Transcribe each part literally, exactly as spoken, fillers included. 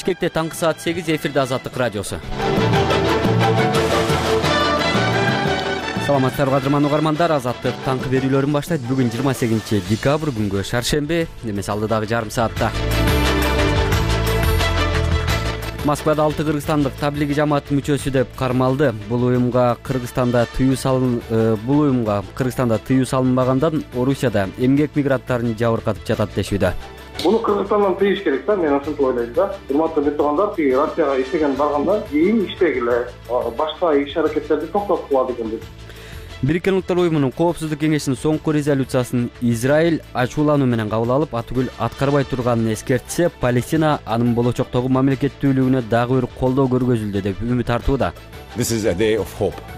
Бишкекте таңкы саат сегиз, эфирде Азаттык радиосу. Саламатсыздарбы кадырман угармандар, Азаттык таңкы берүүлөрүн баштайт. Бүгүн жыйырма сегизинчи декабрь, күнгө шаршемби, эмес алдыдагы жарым саатта. Москвада алты кыргызстандык таблиги жамаат мүчөсү деп кармалды. Бул уюмга Кыргызстанда тыюу салын бул уюмга Кыргызстанда тыюу салынбагандан Орусияда эмгек мигранттарын жабыркатып жатат дешүүдө. Буну Кыргызстандан тыйыш керек да, мен ошентип ойлойм да. Урматтуу беттогандар, тиги Россияга иштеген барганда кийин иштегиле, башка иш аракеттерди токтоткула деген деп. Бириккен Улуттар уюмунун Коопсуздук кеңешинин соңку резолюциясын Израиль ачуулануу менен кабыл алып, атүгүл аткарбай турганын эскертсе, Палестина анын болочоктогу мамлекеттүүлүгүнө дагы бир колдоо көргөзүлдү деп үмүт артууда.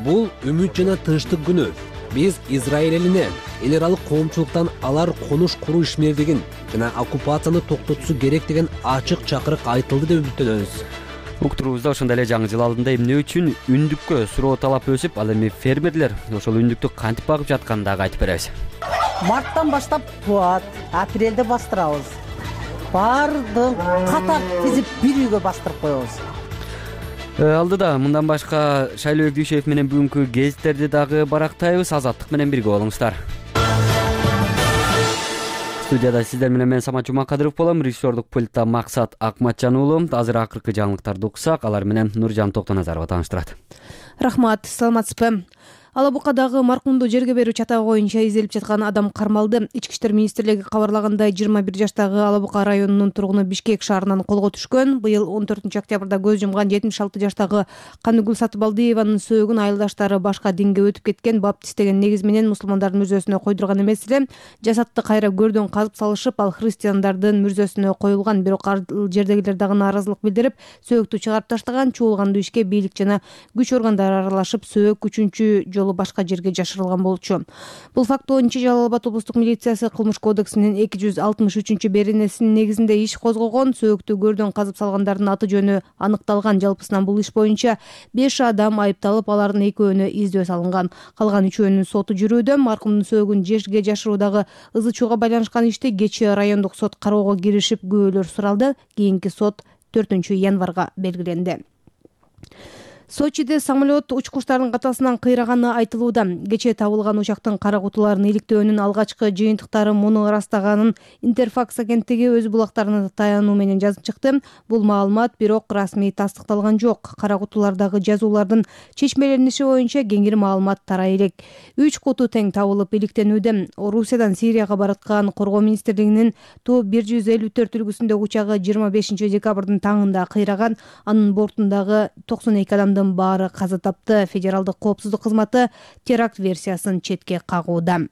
Бул үмүт жана тынчтык күнү. Биз Израиль элине эл аралык коомчулуктан алар конуш куруу ишмердигин жана оккупацияны токтотушу керек деген ачык чакырык айтылды деп үмүттөнөбүз. Уктурубузда ошондой эле жаңы жыл алдында эмне үчүн үндүккө суроо талап өсүп, ал эми фермерлер ошол үндүктү кантип багып жатканын дагы айтып беребиз. Марттан баштап туат, апрелде бастырабыз. Бардык катар тизип бир үйгө бастырып коебуз. Алдыда мындан башка Шайлоо Дүйшеев менен бүгүнкү гезиттерди дагы барактайбыз. Азаттык менен бирге болуңуздар. Студияда сиздер менен мен Самат Жумакадыров болом. Режиссердук пультта Максат Акматжан уулу. Азыр акыркы жаңылыктарды уксак, алар менен Нуржан Токтоназарова тааныштырат. Рахмат, саламатсызбы? Алабукадагы маркумду жерге берүү чатагы боюнча изделип жаткан адам кармалды. Ички иштер министрлиги кабарлагандай, жыйырма бир жаштагы Алабука районунун тургуну Бишкек шаарынан колго түшкөн. Быйыл он төртүнчү октябрда көз жумган жетимиш алты жаштагы Каныгүл Сатыбалдиеванын сөөгүн айылдаштары башка динге өтүп кеткен, баптист деген негиз менен мусулмандардын мүрзөсүнө койдурган эмес эле. Жасатты кайра көрдөн казып салышып, ал христиандардын мүрзөсүнө коюлган. Бирок ал жердегилер дагы нааразылык билдирип, сөөгүттү чыгарып таштаган. Чуулгандуу ишке бийлик жана күч органдары аралашып, сөök үчүнчү башка жерге жашырылган болчу. Бул факт боюнча Жалал Абад облустук милициясы Кылмыш кодексинин эки жүз алтымыш үчүнчү беренесинин негизинде иш козгогон. Сөөгүттү көрдөн казып салгандардын аты жөнү аныкталган. Жалпысынан бул иш боюнча беш адам айыпталып, алардын экөөнө издөө салынган. Калган үчөөнүн соту жүрүүдө. Маркумдун сөөгүн жерге жашыруудагы ызы чууга байланышкан ишти кечээ райондук сот кароого киришип, күбөлөр суралды. Кийинки сот төртүнчү январга белгиленди. Сочиде самолет учкучтардын катасынан кыйраганы айтылууда. Кечээ табылган учактын кара кутуларын иликтөөнүн алгачкы жыйынтыктары муну ырастаганын Интерфакс агенттиги өз булактарына таянуу менен жазып чыкты. Бул маалымат бирок расмий тастыкталган жок. Кара кутулардагы жазуулардын чечмелениши боюнча кеңири маалымат тарай элек. Үч куту тең табылып иликтенүүдө. Орусиядан Сирияга бараткан Коргоо министрлигинин Ту бир жүз элүү төрт үлгүсүндөгү учагы жыйырма бешинчи декабрдын таңында кыйраган. Анын бортундагы токсон эки адамдын баары каза тапты. Федералдык коопсуздук кызматы теракт версиясын четке кагууда.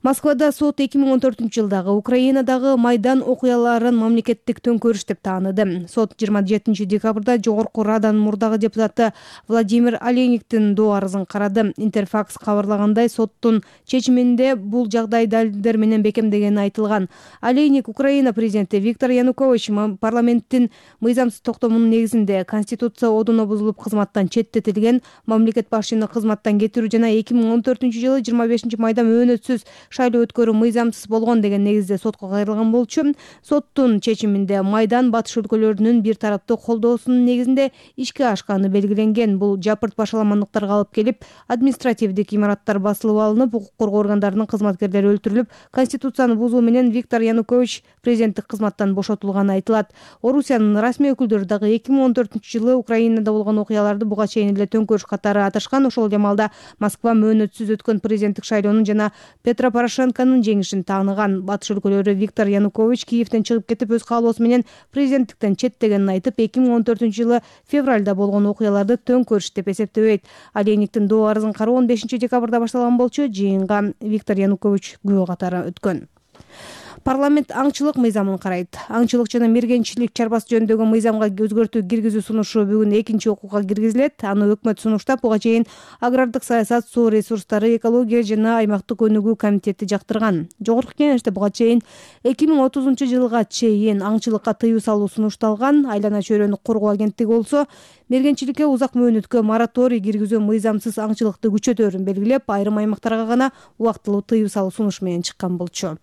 Москвада сот эки миң он төртүнчү жылдагы Украинадагы Майдан окуяларын мамлекеттик төңкөрүш деп тааныды. Сот жыйырма жетинчи декабрда Жогорку Раданын мурдагы депутаты Владимир Олейниктин доо арызын карады. Интерфакс кабарлагандай, соттун чечиминде бул жагдай далилдер менен бекемдегени айтылган. Олейник Украина президенти Виктор Янукович парламенттин мыйзамсыз токтомунун негизинде Конституция одуна бузулуп кызматтан четтетилген, мамлекет башчыны кызматтан кетирүү жана эки миң он төртүнчү жылы жыйырма бешинчи майда мөөнөтсүз шайлоо өткөрүү мыйзамсыз болгон деген негизде сотко кайрылган болчу. Соттун чечиминде Майдан батыш өлкөлөрүнүн бир тараптуу колдоосунун негизинде ишке ашканы белгиленген. Бул жапырт башаламандыктарга алып келип, административдик имараттар басылып алынып, укук коргоо органдарынын кызматкерлери өлтүрүлүп, Конституцияны бузуу менен Виктор Янукович президенттик кызматтан бошотулганы айтылат. Орусиянын расмий өкүлдөрү дагы эки миң он төртүнчү жылы Украинада болгон окуяларды буга чейин эле төңкөрүш катары аташкан. Ошол жамалда Москва мөөнөтсүз өткөн президенттик шайлоонун жана Петро Порошенконун жеңишин тааныган. Батыш өлкөлөрү Виктор Янукович Киевден чыгып кетип, өз каалоосу менен президенттиктен четтегенин айтып, эки миң он төртүнчү жылы февралда болгон окуяларды төңкөрүш деп эсептебейт. Олейниктин доо арызын кароо он бешинчи декабрда башталган болчу. Жыйынга Виктор Янукович күбө катары өткөн. Парламент аңчылык мыйзамын карайт. Аңчылык жана мергенчилик чарбасы жөнүндөгү мыйзамга өзгөртүү киргизүү сунушу бүгүн экинчи окууга киргизилет. Аны өкмөт сунуштап, буга чейин агрардык саясат, суу ресурстары, экология жана аймактык өнүгүү комитети жактырган. Жогорку кеңеште буга чейин эки миң отузунчу жылга чейин аңчылыкка тыюу салуу сунушталган. Айлана чөйрөнү коргоо агенттиги болсо мергенчиликке узак мөөнөткө мораторий киргизүү мыйзамсыз аңчылыкты күчөтөөрүн белгилеп, айрым аймактарга гана убактылуу тыюу салуу сунушу менен чыккан болчу.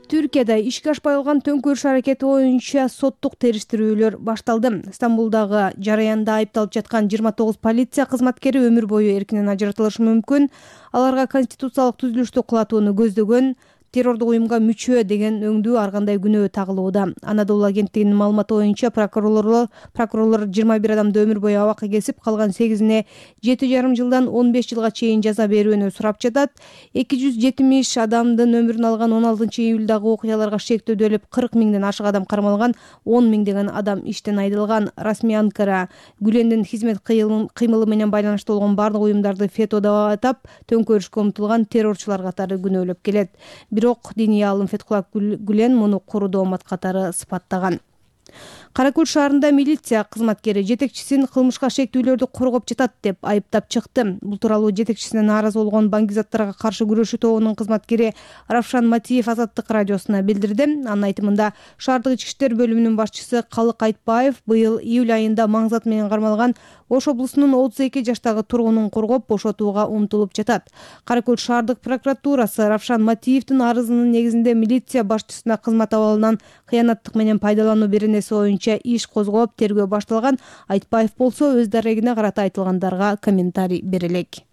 Түр Түркияда ишке ашпай калган төңкөрүш аракети боюнча соттук териштирүүлөр башталды. Стамбулдагы жараянда айыпталып жаткан жыйырма тогуз полиция кызматкери өмүр бою эркинен ажыратылышы мүмкүн. Аларга конституциялык түзүлүштү кулатууну көздөгөн, террордук уюмга мүчө деген өңдүү ар кандай күнөө тагылууда. Анадолу агенттигинин маалыматы боюнча прокурорлор прокурорлор жыйырма бир адамды өмүр бою абакка кесип, калган сегизине жети жарым жылдан он беш жылга чейин жаза берүүнү сурап жатат. эки жүз жетимиш адамдын өмүрүн алган он алтынчы июлдагы окуяларга шектөөдө өлүп, кырк миңден ашык адам кармалган, он миңдеген адам иштен айдылган. Расмий Анкара Гүлендин хизмет кыймылы менен байланыштуу болгон бардык уюмдарды фето деп атап, төңкөрүшкө умтулган террорчулар катары күнөөлөп келет. Бирок диний аалым Фетхулла Гүлен муну куру доомат катары сыпаттаган. Кара Көл шаарында милиция кызматкери жетекчисин кылмышка шектүүлөрдү коргоп жатат деп айыптап чыкты. Бул тууралуу жетекчисине нааразы болгон баңгизаттарга каршы күрөшүү тобунун кызматкери Равшан Матиев Азаттык радиосуна билдирди. Анын айтымында, шаардык ички иштер бөлүмүнүн башчысы Калык Айтбаев быйыл июль айында маңзат менен кармалган Ош облусунун отуз эки жаштагы тургунун коргоп бошотууга умтулуп жатат. Кара Көл шаардык прокуратурасы Равшан Матиевдин арызынын негизинде милиция башчысына кызмат абалынан кыянаттык менен пайдалануу беренеси боюнча иш козгоп, тергөө башталган. Айтбаев болсо өз дарегине карата айтылгандарга комментарий бере элек.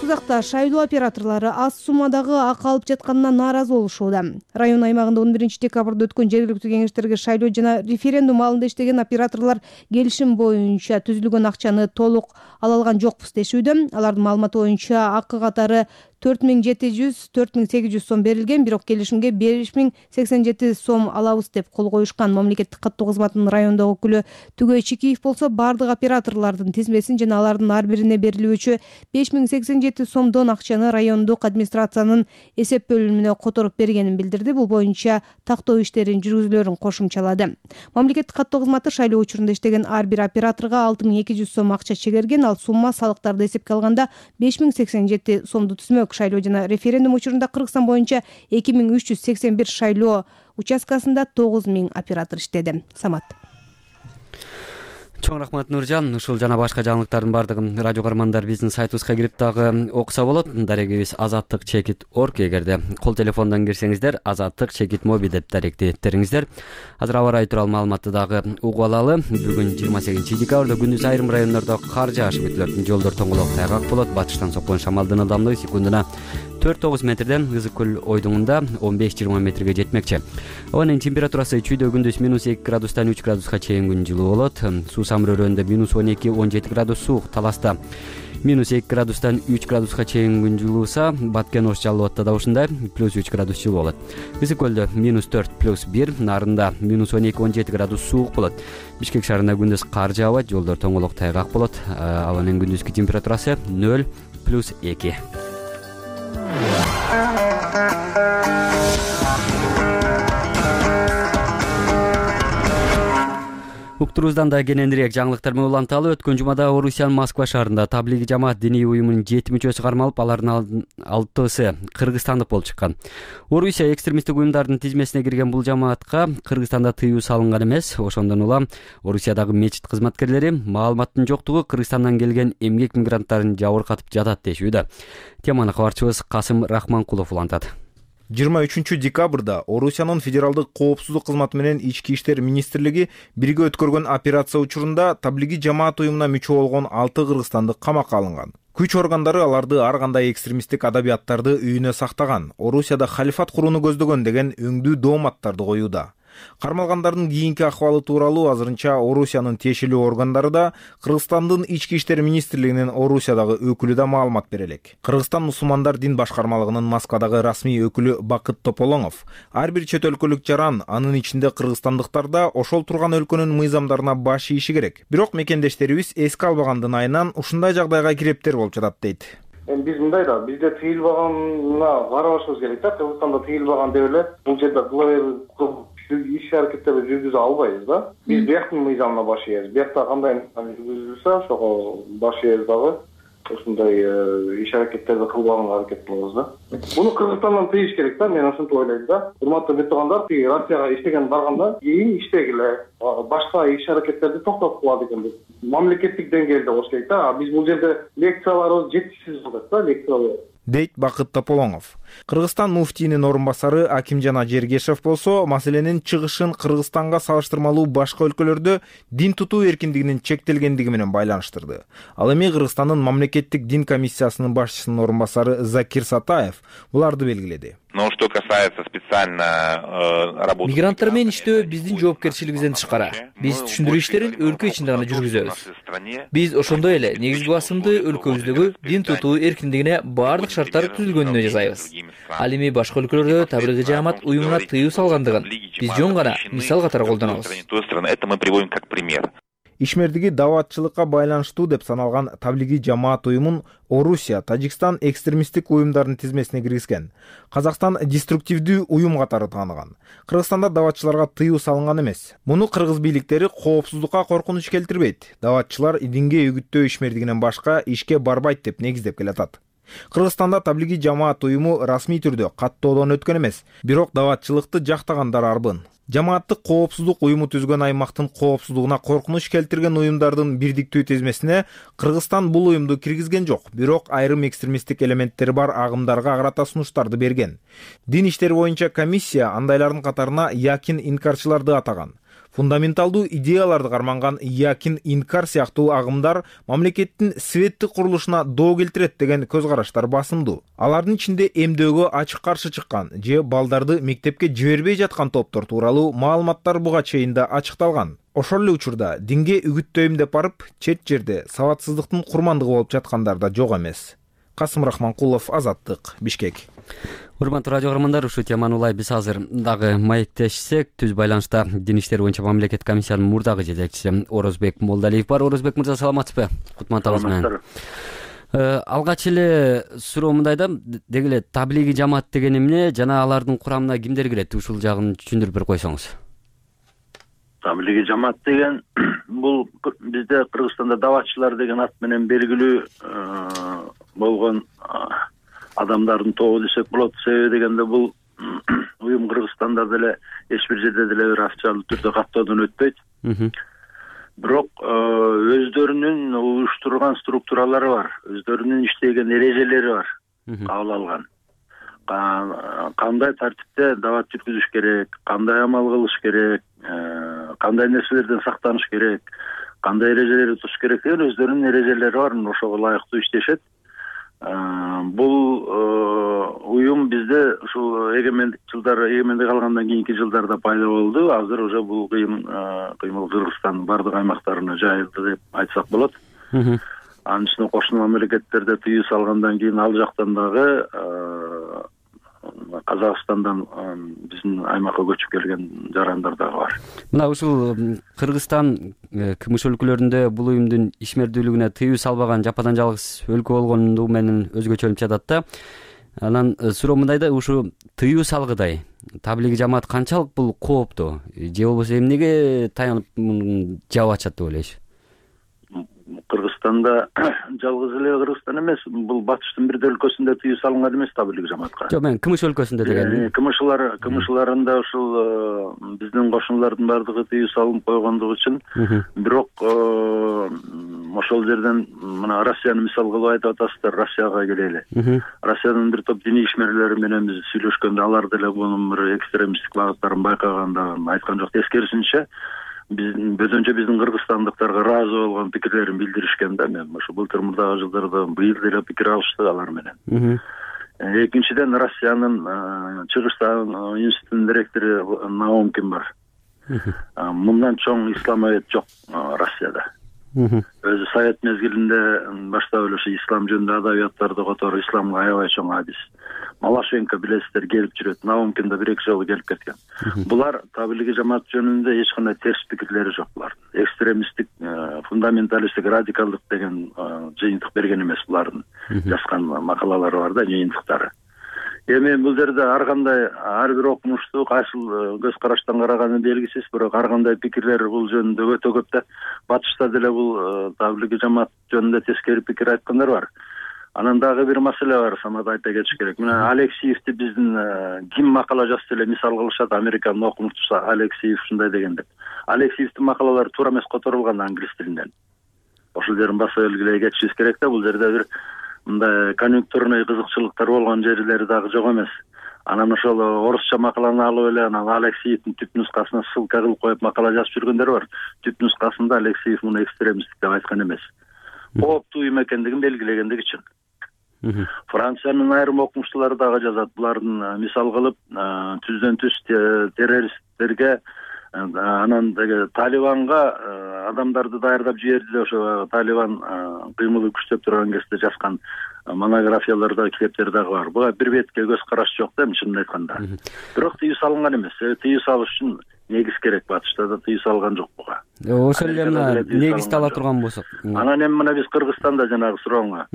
Сузакта шайлоо операторлору аз суммадагы акы алып жатканына нааразы болушууда. Район аймагында он биринчи декабрда өткөн жергиликтүү кеңештерге шайлоо жана референдум алдында иштеген операторлор келишим боюнча түзүлгөн акчаны толук ала алган жокпуз дешүүдө. Алардын маалыматы боюнча акы катары төрт миң жети жүз төрт миң сегиз жүз сом берилген, бирок келишимге беш миң сексен жети сом алабыз деп кол коюшкан. Мамлекеттик каттоо кызматынын райондогу өкүлү Түгөй Чикиев болсо бардык операторлордун тизмесин жана алардын ар бирине берилүүчү беш миң сексен жети сомдон акчаны райондук администрациянын эсеп бөлүмүнө которуп бергенин билдирди. Бул боюнча тактоо иштерин жүргүзүлөрүн кошумчалады. Мамлекеттик каттоо кызматы шайлоо учурунда иштеген ар бир операторго алты миң эки жүз сом акча чегерген, ал сумма салыктарды эсепке алганда беш миң сексен жети сомду түзмөк. Шайлоо жана референдум учурунда Кыргызстан боюнча эки миң үч жүз сексен бир шайлоо участкасында тогуз миң оператор иштеди. Самат. Чоң рахмат Нуржан. Ушул жана башка жаңылыктардын бардыгын радио каармандар биздин сайтыбызга кирип дагы окуса болот. Дарегибиз азаттык чекит точка орг. Эгерде кол телефондон кирсеңиздер, азаттык чекит моби деп даректиңиздер. Азыр аба ырайы тууралуу маалыматты дагы угуп алалы. Бүгүн жыйырма сегизинчи декабрда күндүз айрым райондордо кар жааш күтүлөт. Жолдор тоңголок тайгак болот. Батыштан соккон шамалдын ылдамдыгы секундуна төрт тогуз метрден, Ызык көл ойдуңунда он беш жыйырма метрге жетмекчи. Абанын температурасы чүйдө күндүз минус эки градустан үч градуска чейин күн жылуу болот. Суу Самыр-өрөндө минус он эки он жети градус суук, Таласта минус эки градустан үч градуска чейин күн жылууса, Баткен Ош Жалал Абадта да ушундай плюс үч градус жылуу болот. Ызык көлдө минус төрт плюс бир, Нарында минус он эки он жети градус суук болот. Бишкек шаарында күндүз кар жаабайт, жолдор тоңголок тайгак болот. Абанын күндүзкү температурасы нөл плюс эки. Уктурубуздан да кененирээк жаңылыктар менен уланталы. Өткөн жумада Орусиянын Москва шаарында Таблиги жамаат диний уюмунун жети мүчөсү кармалып, алардын алтысы кыргызстандык болуп чыккан. Орусия экстремисттик уюмдардын тизмесине кирген бул жамаатка Кыргызстанда тыюу салынган эмес. Ошондон улам Орусиядагы мечит кызматкерлери маалыматтын жоктугу Кыргызстандан келген эмгек мигранттарын жабыркатып жатат дешүүдө. Теманы кабарчыбыз Касым Рахманкулов улантат. жыйырма үчүнчү декабрда Орусиянын федералдык коопсуздук кызматы менен Ички иштер министрлиги бирге өткөргөн операция учурунда Таблиги жамаат уюмуна мүчө болгон алты кыргызстандык камакка алынган. Күч органдары аларды ар кандай экстремисттик адабияттарды үйүнө сактаган, Орусияда халифат курууну көздөгөн деген өңдүү дооматтарды коюуда. Кармалгандардын кийинки акыбалы тууралуу азырынча Орусиянын тиешелүү органдары да Кыргызстандын Ички иштер министрлигинин Орусиядагы өкүлү да маалымат бере элек. Кыргызстан мусулмандар дин башкармалыгынын Москвадагы расмий өкүлү Бакыт Тополоңов ар бир чет өлкөлүк жаран, анын ичинде кыргызстандыктар да ошол турган өлкөнүн мыйзамдарына баш ийиши керек. Бирок мекендештерибиз эске албагандын айынан ушундай жагдайга кирептер болуп жатат дейт. Эми биз мындай да, бизде тыйылбаганына карабашыбыз керек да. Кыргызстанда тыйылбаган деп эле бул жерде кыла иш аракеттерди жүргүзө албайбыз да. Биз бияктын мыйзамына баш ийебиз. Биякта кандай жүргүзүлсө, ошого баш ийебиз дагы. Ушундай иш аракеттерди кылбаганга аракет кылабыз да. Буну Кыргызстандан тыйыш керек да, мен ошентип ойлойм да. Урматтуу бетугандар, Россияга иштеген баргандан кийин иштегиле, башка иш аракеттерди токтотуп коет экен деп. Мамлекеттик деңгээлде болуш керек да. Биз бул жерде лекцияларыбыз жетишсиз болот да, лекциялар. дейт Бакыт Тополоңов. Кыргызстан муфтийинин орун басары Акимжан Ажергешев болсо маселенин чыгышын Кыргызстанга салыштырмалуу башка өлкөлөрдө дин тутуу эркиндигинин чектелгендиги менен байланыштырды. Ал эми Кыргызстандын мамлекеттик дин комиссиясынын башчысынын орун басары Закир Сатаев буларды белгиледи. Но что касается специально работы мигранттар менен иштөө биздин жоопкерчилигибизден тышкары. Биз түшүндүрүү иштерин өлкө ичинде гана жүргүзөбүз. Биз ошондой эле негизги басымды өлкөбүздөгү дин тутуу эркиндигине баардык шарттар түзүлгөнүнө жасайбыз. Ал эми башка өлкөлөрдө таблигый жаамат уюмуна тыюу салгандыгын биз жөн гана мисал катары колдонобуз. Это мы приводим как пример. Ишмердиги даватчылыкка байланыштуу деп саналган таблигий жамаат уюмун Орусия, Тажикстан экстремисттик уюмдардын тизмесине киргизген. Казакстан деструктивдүү уюм катары тааныган. Кыргызстанда даватчыларга тыюу салынган эмес. Муну кыргыз бийликтери коопсуздукка коркунуч келтирбейт. Даватчылар динге үгүттөө ишмердигинен башка ишке барбайт деп негиздеп келатат. Кыргызстанда таблигий жамаат уюму расмий түрдө каттоодон өткөн эмес, бирок даватчылыкты жактагандар арбын. Жамааттык коопсуздук уюму түзгөн аймактын коопсуздугуна коркунуч келтирген уюмдардын бирдиктүү тизмесине Кыргызстан бул уюмду киргизген жок, бирок айрым экстремисттик элементтери бар агымдарга карата сунуштарды берген. Дин иштери боюнча комиссия андайлардын катарына якин инкарчыларды атаган. Фундаменталдуу идеяларды карманган якин инкар сыяктуу агымдар мамлекеттин светтик курулушуна доо келтирет деген көз караштар басымдуу. Алардын ичинде эмдөөгө ачык каршы чыккан же балдарды мектепке жибербей жаткан топтор тууралуу маалыматтар буга чейин да ачыкталган. Ошол эле учурда динге үгүттөйм деп барып, чет жерде сабатсыздыктын курмандыгы болуп жаткандар да жок эмес. Касым Рахманкулов, Азаттык, Бишкек. Урматтуу радио көрөрмандар, ушул теманы улай биз азыр дагы маектешсек, түз байланышта дин иштери боюнча мамлекет комиссиянын мурдагы жетекчиси Орозбек Молдалиев бар. Орозбек мырза, саламатсызбы? Кутман менен. Алгач эле суроо мындайда, деги эле таблигий жамаат деген эмне жана алардын курамына кимдер кирет? Ушул жагын түшүндүрүп бир койсоңуз. Таблигий жамаат деген бул бизде Кыргызстанда даватчылар деген ат менен белгилүү болгон адамдардын тобу десек болот. Себеби дегенде бул уюм Кыргызстанда деле эч бир жерде деле бир официалдуу түрдө каттоодон өтпөйт. Бирок өздөрүнүн уюштурган структуралары бар, өздөрүнүн иштеген эрежелери бар, кабыл алган. Кандай тартипте дават жүргүзүш керек, кандай амал кылыш керек, кандай нерселерден сактаныш керек, кандай эрежелерди тутуш керек деген өздөрүнүн эрежелери бар, ошого ылайыктуу иштешет. Бул уюм бизде ушул эгемендик жылдары, эгемендик алгандан кийинки жылдарда пайда болду. Азыр уже бул кыймыл Кыргызстандын бардык аймактарына жайылды деп айтсак болот. Анын ичинде кошуна мамлекеттерде тыюу салгандан кийин ал жактан дагы Казакстандан биздин аймакка көчүп келген жарандар дагы бар. Мына ушул Кыргызстан кмш өлкөлөрүндө бул уюмдун ишмердүүлүгүнө тыюу салбаган жападан жалгыз өлкө болгондугу менен өзгөчөлүнүп жатат да. Анан суроо мындайда, ушу тыюу салгыдай таблигий жамаат канчалык бул кооптуу же болбосо эмнеге таянып жаап атышат деп ойлойсуз? Кыргызстанда жалгыз эле Кыргызстан эмес, бул батыштын бир өлкөсүндө тыюу салынган эмес таблигий жамаатка. Жок, мен кмш өлкөсүндө дегенмин. Кмшлар, кмшларында ушул биздин кошуналардын бардыгы тыюу салынып койгондугу үчүн, бирок ошол жерден мына Россияны мисал кылып айтып атасыздар, Россияга келели. Россиянын бир топ диний ишмерлери менен биз сүйлөшкөндө алар деле мунун бир экстремисттик багыттарын байкаганда айткан жок. Тескерисинче биздин бөтөнчө биздин кыргызстандыктарга ыраазы болгон пикирлерин билдиришкен да. Мен ошо былтыр мурдагы жылдарда быйыл деле пикир алышты алар менен. Экинчиден, Россиянын Чыгыштагы институтунун директору Наумкин бар. Мындан чоң исламовед жок Россияда. Өзү совет мезгилинде баштап эле ислам жөнүндө адабияттарды которуп, исламга аябай чоң адис. Малашенко билесиздер, келип жүрөт. Наумкин да бир-эки жолу келип кеткен. Булар таблигий жамаат жөнүндө эч кандай терс пикирлери жок булардын. Экстремисттик, фундаменталисттик, радикалдык деген жыйынтык берген эмес булардын. Жазган макалалары бар да, жыйынтыктары. Эми бул жерде ар кандай, ар бир окумуштуу кайсыл көз караштан караганы белгисиз, бирок ар кандай пикирлер бул жөнүндө өтө көп да. Батышта деле бул таблигий жамаат жөнүндө тескери пикир айткандар бар. Анан дагы бир маселе бар, Самат айта кетиш керек. Мына Алексеевди биздин ким макала жазса эле мисал кылышат, Американын окумуштуусу Алексеев ушундай деген деп. Алексеевдин макалалары туура эмес которулган англис тилинен. Ошол жерин баса белгилей кетишибиз керек да, бул жерде бир мындай конъюнктурный кызыкчылыктар болгон жерлери дагы жок эмес. Анан ошол орусча макаланы алып эле анан Алексеевдин түп нускасына ссылка кылып коюп макала жазып жүргөндөр бар. Түп нускасында Алексеев муну экстремисттик деп айткан эмес. Кооптуу уюм экендигин белгилегендик үчүн. Франциянын айрым окумуштуулары дагы жазат. Булардын мисал кылып түздөн түз террористтерге анан деги Талибанга адамдарды даярдап жиберди деп ошо Талибан кыймылы күчтөп турган кезде жазган монографияларда, китептер дагы бар. Буга бир бетке көз караш жок да, чынын айтканда. Бирок тыюу салынган эмес. Тыюу салыш үчүн негиз керек. Батышта да тыюу салган жок буга. Ошол эле мына негизди ала турган болсок. Анан эми мына биз Кыргызстанда жанагы сурооңо.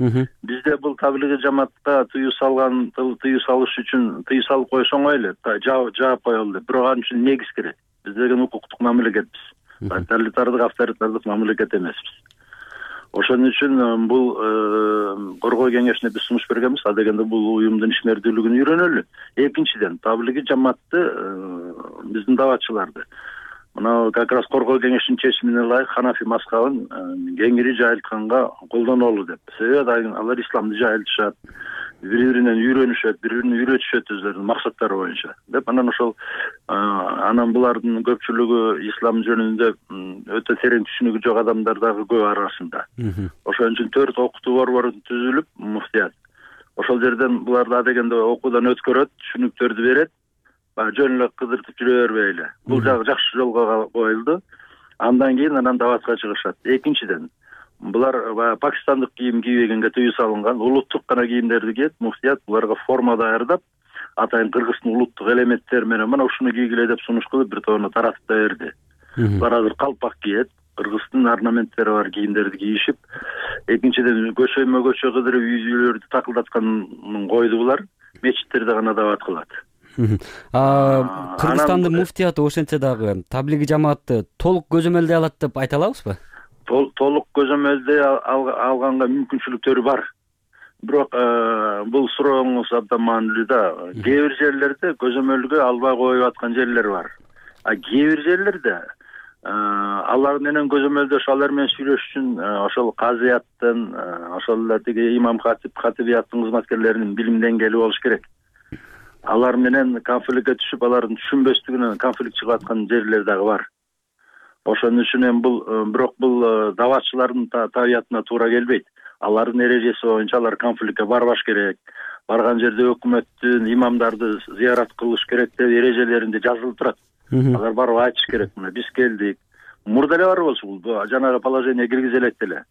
Бизде бул таблиги жамаатка тыюу салган, тыюу салыш үчүн тыюу салып коюш оңой эле. Жаап коелу деп. Бирок анын үчүн негиз керек. Биз деген укуктук мамлекетпиз. Тоталитардык, авторитардык мамлекет эмеспиз. Ошон үчүн бул коргоо кеңешине биз сунуш бергенбиз. А дегенде бул уюмдун ишмердүүлүгүн үйрөнөлү. Экинчиден, таблиги жамаатты биздин даватчыларды мына как раз коргоо кеңешинин чечимине ылайык Ханафи мазхабын кеңири жайылтканга колдонолу деп. Себеби алар исламды жайылтышат, бири-биринен үйрөнүшөт, бири-бирин үйрөтүшөт өздөрүнүн максаттары боюнча деп. Анан ошол анан булардын көпчүлүгү ислам жөнүндө өтө терең түшүнүгү жок адамдар дагы көп арасында. Ошон үчүн төрт окутуу борбору түзүлүп, муфтият ошол жерден буларды адегенде окуудан өткөрөт, түшүнүктөрдү берет. Жөн эле кыдыртып жүрө бербейли. Бул жагы жакшы жолго коюлду. Андан кийин анан даватка чыгышат. Экинчиден, булар пакистандык кийим кийбегенге тыюу салынган, улуттук гана кийимдерди кийет. Муфтият буларга форма даярдап, атайын кыргыздын улуттук элементтери менен мына ушуну кийгиле деп сунуш кылып бир тобуна таратып да берди. Булар азыр калпак кийет, кыргыздын орнаменттери бар кийимдерди кийишип, экинчиден көчөмө көчө кыдырып үй-бүлөлөрдү такылдатканын койду булар. Мечиттерде гана дават кылат. Кыргызстандын муфтияты ошентсе дагы таблиги жамаатты толук көзөмөлдөй алат деп айта алабызбы? Толук көзөмөлдөй алганга мүмкүнчүлүктөрү бар. Бирок бул сурооңуз абдан маанилүү да. Кээ бир жерлерде көзөмөлгө албай коюп аткан жерлер бар. А кээ бир жерлерде алар менен көзөмөлдөш, алар менен сүйлөшүш үчүн ошол казыяттын, ошол эле тиги имам хатип хатибияттын кызматкерлеринин билим деңгээли болуш керек. Алар менен конфликтке түшүп, алардын түшүнбөстүгүнөн конфликт чыгып аткан жерлер дагы бар. Ошон үчүн эми бул бирок бул даватчылардын табиятына туура келбейт. Алардын эрежеси боюнча алар конфликтке барбаш керек. Барган жерде өкмөттүн имамдарды зыярат кылыш керек деп эрежелеринде жазылып турат. Алар барып айтыш керек. Мына биз келдик. Мурда эле бар болчу бул жанагы положение киргизе элек эле.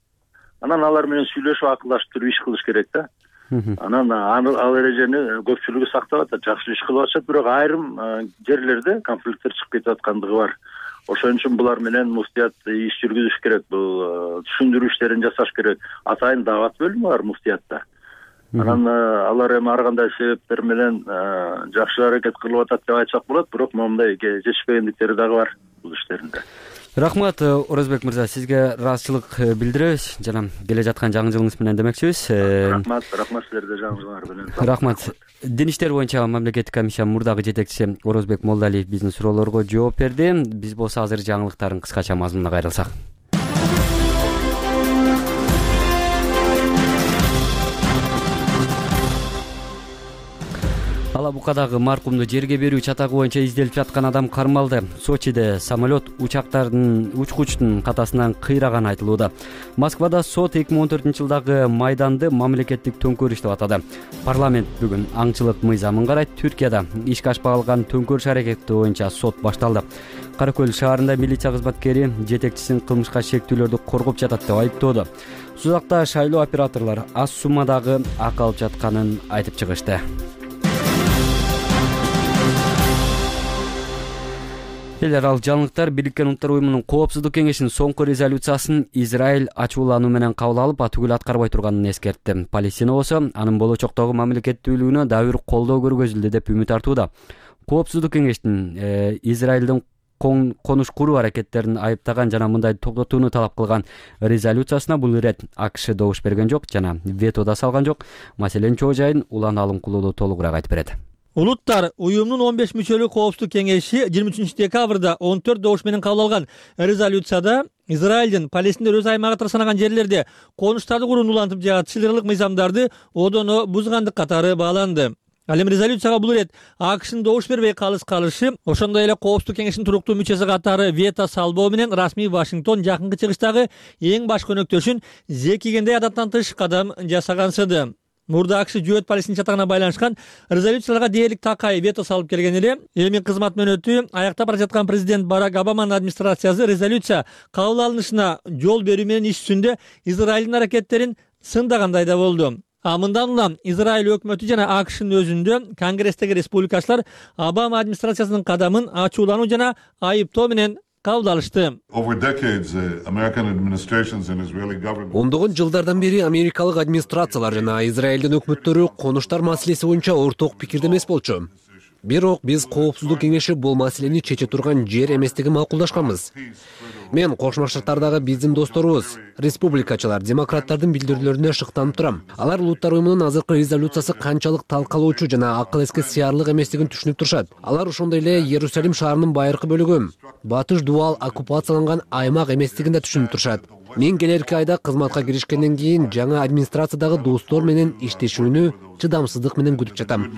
Анан алар менен сүйлөшүп, акылдашып туруп иш кылыш керек да. Анан ал эрежени көпчүлүгү сактап атат, жакшы иш кылып атышат, бирок айрым жерлерде конфликттер чыгып кетип аткандыгы бар. Ошон үчүн булар менен муфтият иш жүргүзүш керек, бул түшүндүрүү иштерин жасаш керек. Атайын дават бөлүмү бар муфтиятта. Анан алар эми ар кандай себептер менен жакшы аракет кылып атат деп айтсак болот, бирок моундай жетишпегендиктери дагы бар бул иштеринде. Рахмат, Орозбек мырза, сизге ыраазычылык билдиребиз жана келе жаткан жаңы жылыңыз менен демекчибиз. Рахмат, рахмат силерге жаңы жылыңар менен. Рахмат. Дин иштер боюнча мамлекеттик комиссиянын мурдагы жетекчиси Орозбек Молдалиев биздин суроолорго жооп берди. Биз болсо азыр жаңылыктардын кыскача мазмунуна кайрылсак. Алабукадагы маркумду жерге берүү чатагы боюнча изделип жаткан адам кармалды. Сочиде самолет учактардын учкучтун катасынан кыйраганы айтылууда. Москвада сот эки миң он төртүнчү жылдагы майданды мамлекеттик төңкөрүш деп атады. Парламент бүгүн аңчылык мыйзамын карайт. Түркияда ишке ашпай калган төңкөрүш аракети боюнча сот башталды. Кара Көл шаарында милиция кызматкери жетекчисин кылмышка шектүүлөрдү коргоп жатат деп айыптоодо. Сузакта шайлоо операторлор аз суммадагы акы алып жатканын айтып чыгышты. Элер ал жаңылыктар Бириккен Улуттар уюмунун коопсуздук кеңешинин соңку резолюциясын Израиль ачуулануу менен кабыл алып, атүгүл аткарбай турганын эскертти. Палестина болсо анын болочоктогу мамлекеттүүлүгүнө дагы бир колдоо көргөзүлдү деп үмүт артууда. Коопсуздук кеңештин Израилдин конуш куруу аракеттерин айыптаган жана мындай токтотууну талап кылган резолюциясына бул ирет АКШ добуш берген жок жана вето да салган жок. Маселенин чоо жайын Улан Алымкулуу толугураак айтып берет. Улуттар уюмдун он беш мүчөлүү коопсуздук кеңеши жыйырма үчүнчү декабрда он төрт добуш менен кабыл алган резолюцияда Израилдин Палестиндер өз аймагы катары санаган жерлерде конуштарды курууну улантып жаат чыгарылык мыйзамдарды одоно бузгандык катары бааланды. Ал эми резолюцияга бул ирет АКШнын добуш бербей калыс калышы, ошондой эле Коопсуздук кеңешинин туруктуу мүчөсү катары вето салбоо менен расмий Вашингтон жакынкы чыгыштагы эң баш көнөктөшүн зекигендей адаттан тыш кадам жасагансыды. Мурда АКШ жөөт Палестин чатагына байланышкан резолюцияларга дээрлик такай вето салып келген эле. Эми кызмат мөөнөтү аяктап бара жаткан президент Барак Обаманын администрациясы резолюция кабыл алынышына жол берүү менен иш жүзүндө Израилдин аракеттерин сындагандай да болду. А мындан улам Израиль өкмөтү жана АКШнын өзүндө Конгресстеги республикачылар Обама администрациясынын кадамын ачуулануу жана айыптоо менен кабыл алышты. Ондогон жылдардан бери америкалык администрациялар жана Израилдин өкмөттөрү конуштар маселеси боюнча орток пикирде эмес болчу. Бирок биз Коопсуздук кеңеши бул маселени чече турган жер эместигин макулдашканбыз. Мен Кошмо Штаттардагы биздин досторубуз, республикачылар, демократтардын билдирүүлөрүнө шыктанып турам. Алар улуттар уюмунун азыркы резолюциясы канчалык талкалоочу жана акыл эске сыярлык эместигин түшүнүп турушат. Алар ошондой эле Иерусалим шаарынын байыркы бөлүгү, батыш дубал оккупацияланган аймак эместигин да түшүнүп турушат. Мен келерки айда кызматка киришкенден кийин жаңы администрациядагы достор менен иштешүүнү чыдамсыздык менен күтүп жатам.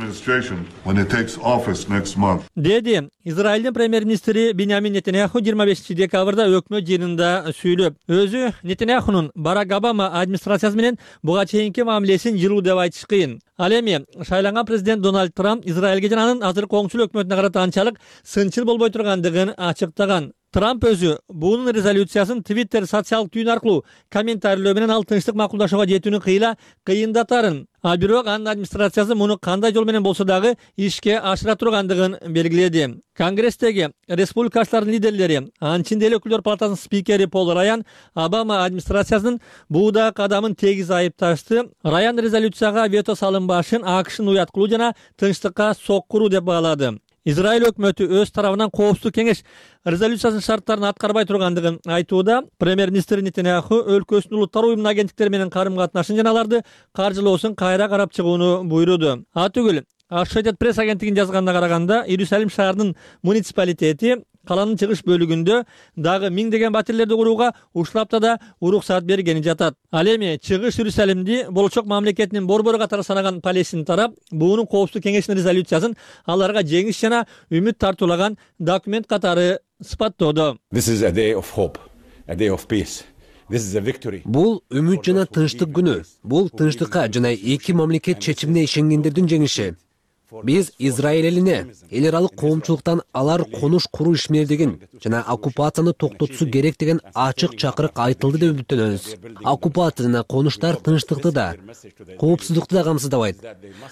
Деди Израилдин премьер-министри Биньямин Нетаньяху жыйырма бешинчи декабрда өкмөт жыйынында сүйлөп, өзү Нетаньяхунун Барак Обама администрациясы менен буга чейинки мамилесин жылуу деп айтыш кыйын. Ал эми шайланган президент Дональд Трамп Израилге жана анын азыркы оңчул өкмөтүнө карата анчалык сынчыл болбой тургандыгын ачыктаган. Трамп өзү буунун резолюциясын Twitter социалдык түйүн аркылуу комментарийлөө менен ал тынчтык макулдашууга жетүүнү кыйла кыйындатарын. А бирок анын администрациясы муну кандай жол менен болсо дагы ишке ашыра тургандыгын белгиледи. Конгресстеги республикачылардын лидерлери, анчын деле өкүлдөр палатасынын спикери Пол Раян Обама администрациясынын бууда кадамын тегиз айыпташты. Раян резолюцияга вето салынбашын АКШнын уяткылуу жана тынчтыкка соккуруу деп баалады. Израиль өкмөтү өз тарабынан Коопсуздук кеңеш резолюциясынын шарттарын аткарбай тургандыгын айтууда. Премьер-министр Нетаньяху өлкөсүнүн улуттар уюмунун агенттиктери менен карым-катнашын жана аларды каржылоосун кайра карап чыгууну буйруду. А түгүл Associated Press агенттигинин жазганына караганда, Иерусалим шаарынын муниципалитети каланын чыгыш бөлүгүндө дагы миңдеген батирлерди курууга уштапта да уруксаат бергени жатат. Ал эми чыгыш Иерусалимди болочок мамлекетинин борбору катары санаган Палестин тарап буунун Коопсуздук кеңешинин резолюциясын аларга жеңиш жана үмүт тартуулаган документ катары сыпаттоодо. Бул үмүт жана тынчтык күнү. Бул тынчтыкка жана эки мамлекет чечимине ишенгендердин жеңиши. Биз Израиль элине эл аралык коомчулуктан алар конуш куруу ишмердигин жана оккупацияны токтотушу керек деген ачык чакырык айтылды деп үмүттөнөбүз. Оккупация жана конуштар тынчтыкты да, коопсуздукту да камсыздабайт.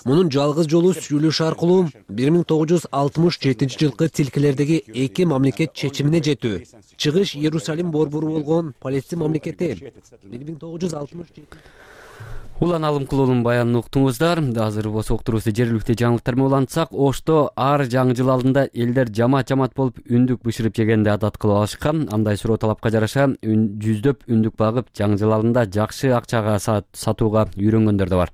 Мунун жалгыз жолу сүйлөшүү аркылуу бир миң тогуз жүз алтымыш жетинчи жылкы тилкелердеги эки мамлекет чечимине жетүү. Чыгыш Иерусалим борбору болгон Палестин мамлекети бир миң тогуз жүз алтымыш жетинчи Улан Алымкулуунун баянын уктуңуздар. Азыр болсо уктуруубузду жергиликтүү жаңылыктар менен улантсак, Ошто ар жаңы жыл алдында элдер жамаат-жамаат болуп үндүк бышырып жегенди адат кылып алышкан. Андай суроо талапка жараша жүздөп үндүк багып, жаңы жыл алдында жакшы акчага сатууга үйрөнгөндөр да бар.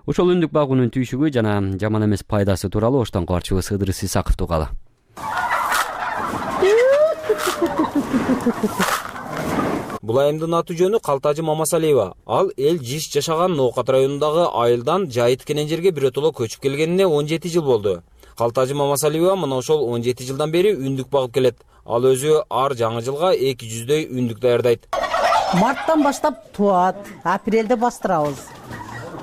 Ошол үндүк багуунун түйшүгү жана жаман эмес пайдасы тууралуу Оштон кабарчыбыз Ыдырыс Исаковду угалы. Бул айымдын аты жөнү Калтажы Мамасалиева. Ал эл жиш жашаган Ноокат районундагы айылдан жай тикенен жерге биротоло көчүп келгенине он жети жыл болду. Калтажы Мамасалиева мына ошол он жети жылдан бери үндүк багып келет. Ал өзү ар жаңы жылга эки жүздөй үндүк даярдайт. Марттан баштап туат, апрелде бастырабыз.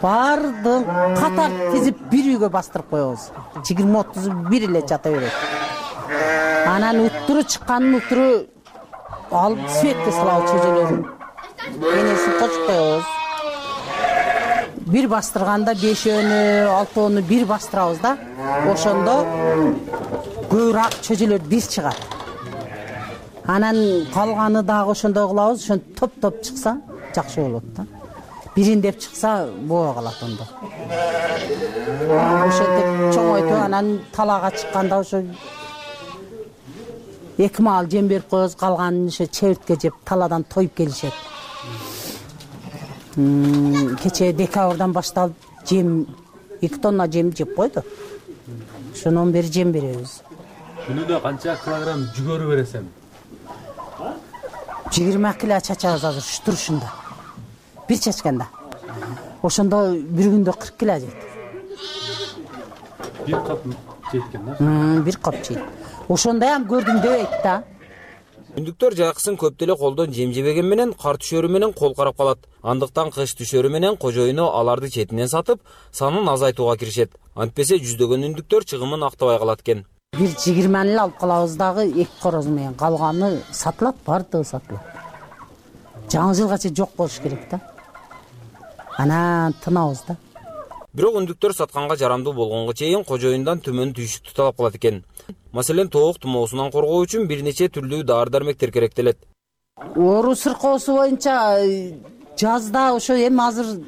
Бардын катар тизип бир үйгө бастырып коебуз. жыйырма отуз бир эле жата берет. Анан уттуру чыкканын уттуру алып светке салабыз чөжөлөрүн. Энесин кочуп коебуз. Бир бастырганда бешөөнү, алтоону бир бастырабыз да. Ошондо көбүрөөк чөжөлөр биз чыгат. Анан калганы дагы ошондой кылабыз. Ошон топ-топ чыкса жакшы болот да. Бириндеп чыкса боо калат ондо. Ошентип чоңойтуп анан талаага чыкканда ошо эки маал жем берип коебуз, калганын ошо чебиртке жеп таладан тоюп келишет. Кече декабрдан башталып жем эки тонна жем жеп койду. ошондон бери жем беребиз. Күнүнө канча килограмм жүгөрү бересиң? жыйырма кило чачабыз азыр ушу турушунда. Бир чачканда. Ошондо бир күндө кырк кило жейт. Бир кап жеткен да? Бир кап жейт. Ошондой ham көрдүм дебейт да. Үндүктөр жайкысын көп деле колдон жем жебеген менен кар түшөрү менен кол карап калат. Андыктан кыш түшөрү менен кожоюну аларды четинен сатып, санын азайтууга киришет. Антпесе жүздөгөн үндүктөр чыгымын актабай калат экен. Бир жыйырманы эле алып калабыз дагы эки короз менен, калганы сатылат, бардыгы сатылат. Жаңы жылгача жок болуш керек да. Анан тынабыз да. Бирок үндүктөр сатканга жарамдуу болгонго чейин кожоюндан төмөн түйшүктү талап кылат экен. Маселен, тоок тумоосунан коргоо үчүн бир нече түрлүү дары-дармектер керектелет. Оору сыркоосу боюнча жазда ошо эми азыр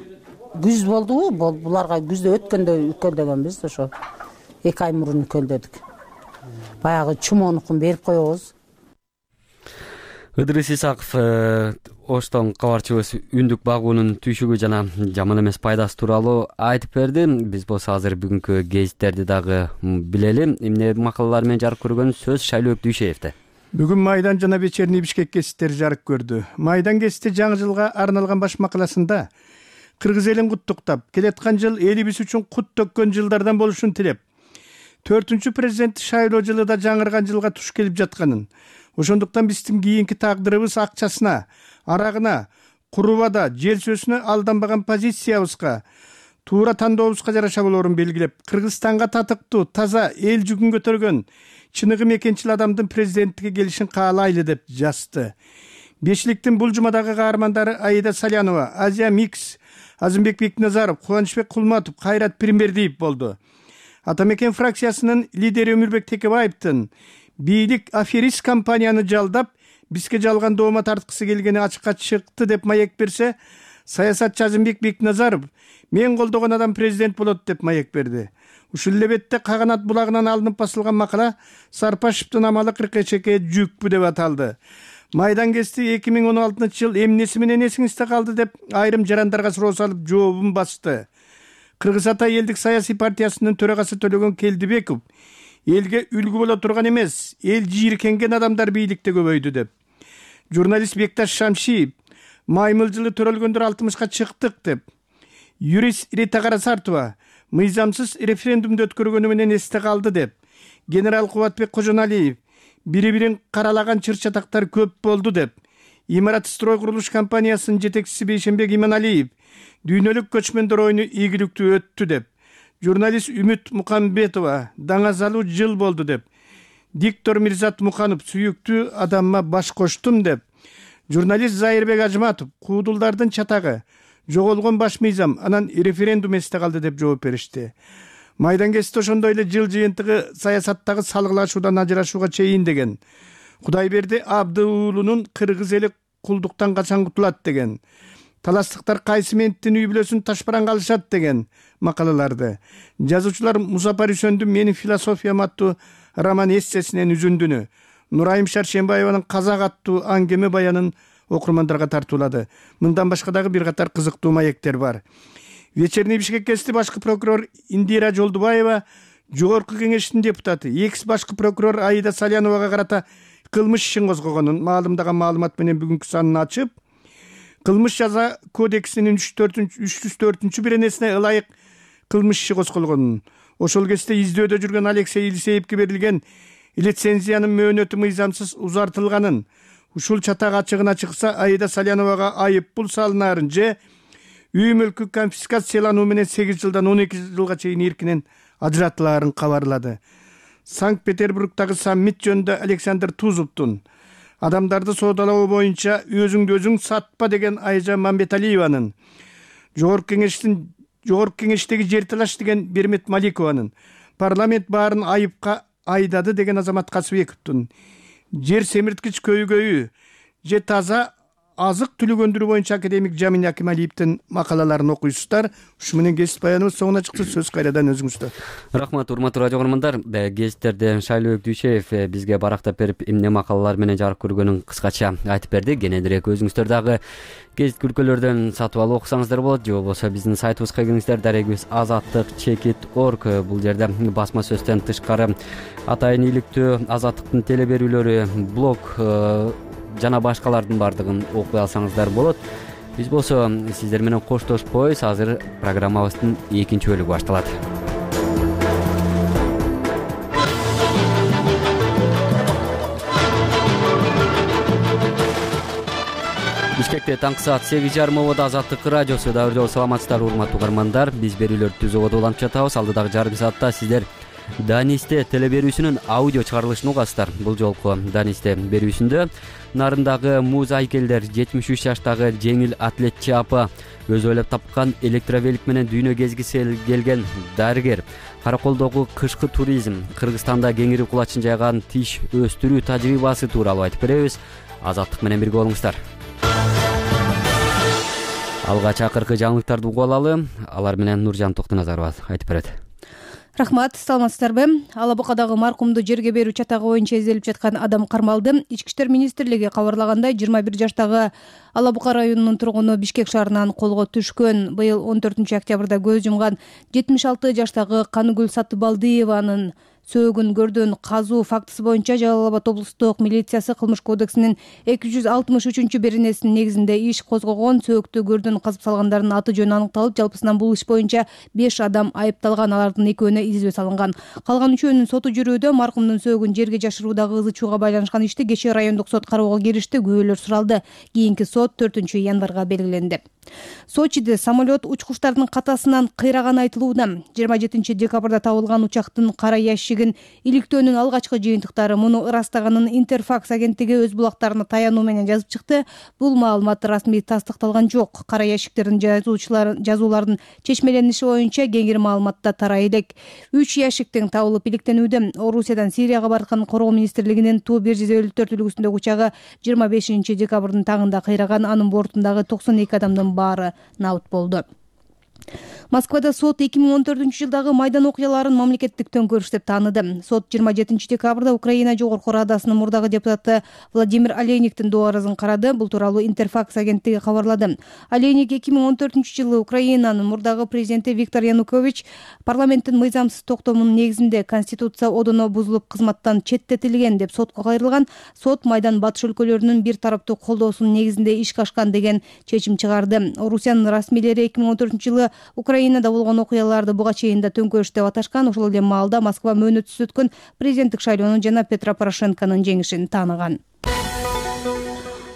күз болдубу? Буларга күздө өткөндө өлкөлдөгөнбүз, ошо эки ай мурун өлкөлдөдүк. Баягы чумоонукун берип коебуз. Ыдырыс Исаков Оштон кабарчыбыз үндүк багуунун түйшүгү жана жаман эмес пайдасы тууралуу айтып берди. Биз болсо азыр бүгүнкү гезиттерди дагы билели. Эмне макалалар менен жарык көргөн сөз Шайлоок Дүйшеевде. Бүгүн Майдан жана Вечерний Бишкек гезиттери жарык көрдү. Майдан гезити жаңы жылга арналган баш макаласында кыргыз элин куттуктап, келаткан жыл элибиз үчүн кут төккөн жылдардан болушун тилеп, төртүнчү президент шайлоо жылы да жаңырган жылга туш келип жатканын, ошондуктан биздин кийинки тагдырыбыз акчасына, арагына, курубада, жер сөзүнө алданбаган позициябызга, туура тандообузга жараша болоорун белгилеп, Кыргызстанга татыктуу, таза, эл жүгүн көтөргөн, чыныгы мекенчил адамдын президенттикке келишин каалайлы деп жазды. Бешликтин бул жумадагы каармандары Аида Салянова, Азия Микс, Азымбек Бекназаров, Кубанычбек Кулматов, Кайрат Пирмбердиев болду. Атамекен фракциясынын лидери Өмүрбек Текебаевдин бийлик аферист компанияны жалдап, бизге жалган доoma тарткысы келгени ачыкка чыкты деп маек берсе, саясатчы Азымбек Бекназаров мен колдогон адам президент болот деп маек берди. Ушул эле бетте Каганат булагынан алынып басылган макала Сарпашевдин амалы кыркычекке жүкпү деп аталды. Майдан гезити эки миң он алтынчы жыл эмнеси менен эсиңизде калды деп айрым жарандарга суроо салып жообун басты. Кыргыз Ата элдик саясий партиясынын төрагасы Төлөгөн Келдибеков элге үлгү боло турган эмес, эл жийиркенген адамдар бийликте көбөйдү деп. Журналист Бекташ Шамшиев маймыл жылы төрөлгөндөр алтымышка чыктык деп. Юрист Рита Карасартова мыйзамсыз референдумду өткөргөнү менен эсте калды деп. Генерал Кубатбек Кожоналиев бири-бирин каралаган чыр-чатактар көп болду деп. Имарат строй курулуш компаниясынын жетекчиси Бейшенбек Иманалиев дүйнөлүк көчмөндөр оюну ийгиликтүү өттү деп. Журналист Үмүт Мукамбетова даңазалуу жыл болду деп. Диктор Мирзат Муканов сүйүктүү адамма баш коштум деп. Журналист Зайырбек Ажматов куудулдардын чатагы, жоголгон баш мыйзам, анан референдум эсте калды деп жооп беришти. Майдан гезити ошондой эле жыл жыйынтыгы саясаттагы салгылашуудан ажырашууга чейин деген. Кудайберди Абды уулунун кыргыз эли кулдуктан качан кутулат деген. Таластыктар кайсы менттин үй бүлөсүн ташпаранга алышат деген макалаларды. Жазуучулар Музапар Үсөндүн Менин философиям аттуу роман эссесинен үзүндүнү, Нурайым Шаршембаеванын Казак аттуу аңгеме баянын окурмандарга тартуулады. Мындан башка дагы бир катар кызыктуу маектер бар. Вечерний Бишкек гезити башкы прокурор Индира Жолдубаева, Жогорку кеңештин депутаты, экс башкы прокурор Аида Саляновага карата кылмыш ишин козгогонун маалымдаган маалымат менен бүгүнкү санын ачып, кылмыш жаза кодексинин үч жүз төртүнчү беренесине ылайык кылмыш иши козголгонун, ошол кезде издөөдө жүргөн Алексей Илсеевке берилген лицензиянын мөөнөтү мыйзамсыз узартылганын, ушул чатак ачыгына чыкса Аида Саляновага айып пул салынаарын же үй мүлкү конфискациялануу менен сегиз жылдан он эки жылга чейин эркинен ажыратылаарын кабарлады. Санкт-Петербургдагы саммит жөнүндө Александр Тузовдун адамдарды соодалоо боюнча өзүңдү өзүң сатпа деген Айжа Мамбеталиеванын, Жогорку кеңештин Жогорку кеңештеги жер талаш деген Бермет Маликованын, парламент баарын айыпка айдады деген Азамат Касыбековдун, жер семирткич көйгөйү же таза азык түлүк өндүрүү боюнча академик Жамин Акималиевдин макалаларын окуйсуздар. Ушу менен кесип баяныбыз соңуна чыкты. Сөз кайрадан өзүңүздө. Рахмат, урматтуу радио көрөрмандар. Гезиттерде Шайлообек Дүйшеев бизге барактап берип, эмне макалалар менен жарык көргөнүн кыскача айтып берди. Кененирээк өзүңүздөр дагы гезит күлкөлөрдөн сатып алып окусаңыздар болот, же болбосо биздин сайтыбызга кириңиздер. Дарегибиз азаттык чекит орг. Бул жерде басма сөздөн тышкары атайын иликтүү азаттыктын теле берүүлөрү, блог жана башкалардын баардыгын окуй алсаңыздар болот. Биз болсо сиздер менен коштошпойбуз. Азыр программабыздын экинчи бөлүгү башталат. Бишкекте таңкы саат сегиз жарым ободо Азаттык радиосу. Дагы жолу саламатсыздар урматтуу угармандар. Биз берүүлөрдү түзүүгө уланып жатабыз. Алдыдагы жарым саатта сиздер Данисте теле берүүсүнүн аудио чыгарылышын угасыздар. Бул жолку Данисте берүүсүндө нарындагы муз айкелдер, жетимиш үч жаштагы жеңил атлетчи апа, өзү ойлоп тапкан электровелик менен дүйнө кезгиси келген дарыгер, Караколдогу кышкы туризм, Кыргызстанда кеңири кулачын жайган тиш өстүрүү тажрыйбасы тууралуу айтып беребиз. Азаттык менен бирге болуңуздар. Алгач акыркы жаңылыктарды угуп алалы. Алар менен Нуржан Токтоназарова айтып берет. Рахмат, саламатсыздарбы? Ала Букадагы маркумду жерге берүү чатагы боюнча изделип жаткан адам кармалды. Ички иштер министрлиги кабарлагандай, жыйырма бир жаштагы Ала Бука районунун тургуну Бишкек шаарынан колго түшкөн. Быйыл он төртүнчү октябрда көз жумган жетимиш алты жаштагы Каныгүл Сатыбалдиеванын сөөгүн көрдөн казуу фактысы боюнча Жалал Абад облустук милициясы Кылмыш кодексинин эки жүз алтымыш үчүнчү беренесинин негизинде иш козгогон. Сөөктү көрдөн казып салгандардын аты жөнү аныкталып, жалпысынан бул иш боюнча беш адам айыпталган. Алардын экөөнө изилөө салынган. Калган үчөөнүн соту жүрүүдө. Маркумдун сөөгүн жерге жашыруудагы ызы чууга байланышкан ишти кечээ райондук сот кароого киришти. Күбөлөр суралды. Кийинки сот төртүнчү январга белгиленди. Сочиде самолет учкучтардын катасынан кыйраганы айтылууда. жыйырма жетинчи декабрда табылган учактын кара ящигин иликтөөнүн алгачкы жыйынтыктары муну ырастаганын Интерфакс агенттиги өз булактарына таянуу менен жазып чыкты. Бул маалымат расмий тастыкталган жок. Кара ящиктердин жазуулардын чечмелениши боюнча кеңири маалыматта тарай элек. үч ящиктин табылып иликтенүүдө. Орусиядан Сирияга барган Коргоо министрлигинин Ту бир жүз элүү төрт үлгүсүндөгү учагы жыйырма бешинчи декабрдын тагында кыйраган. Анын бортундагы токсон эки адамдын баары набыт болду. Москвада сот эки миң он төртүнчү жылдагы Майдан окуяларын мамлекеттик төңкөрүш деп тааныды. Сот жыйырма жетинчи декабрда Украина Жогорку Радасынын мурдагы депутаты Владимир Олейниктин доо арызын карады. Бул тууралуу Интерфакс агенттиги кабарлады. Олейник эки миң он төртүнчү жылы Украинанын мурдагы президенти Виктор Янукович парламенттин мыйзамсыз токтомунун негизинде Конституция одоно бузулуп кызматтан четтетилген деп сотко кайрылган. Сот Майдан батыш өлкөлөрүнүн бир тараптуу колдоосунун негизинде ишке ашкан деген чечим чыгарды. Орусиянын расмийлери эки миң он төртүнчү жылы Украинада болгон окуяларды буга чейин да төңкөрүш деп аташкан. Ошол эле маалда Москва мөөнөтсүз өткөн президенттик шайлоонун жана Петро Порошенконун жеңишин тааныган.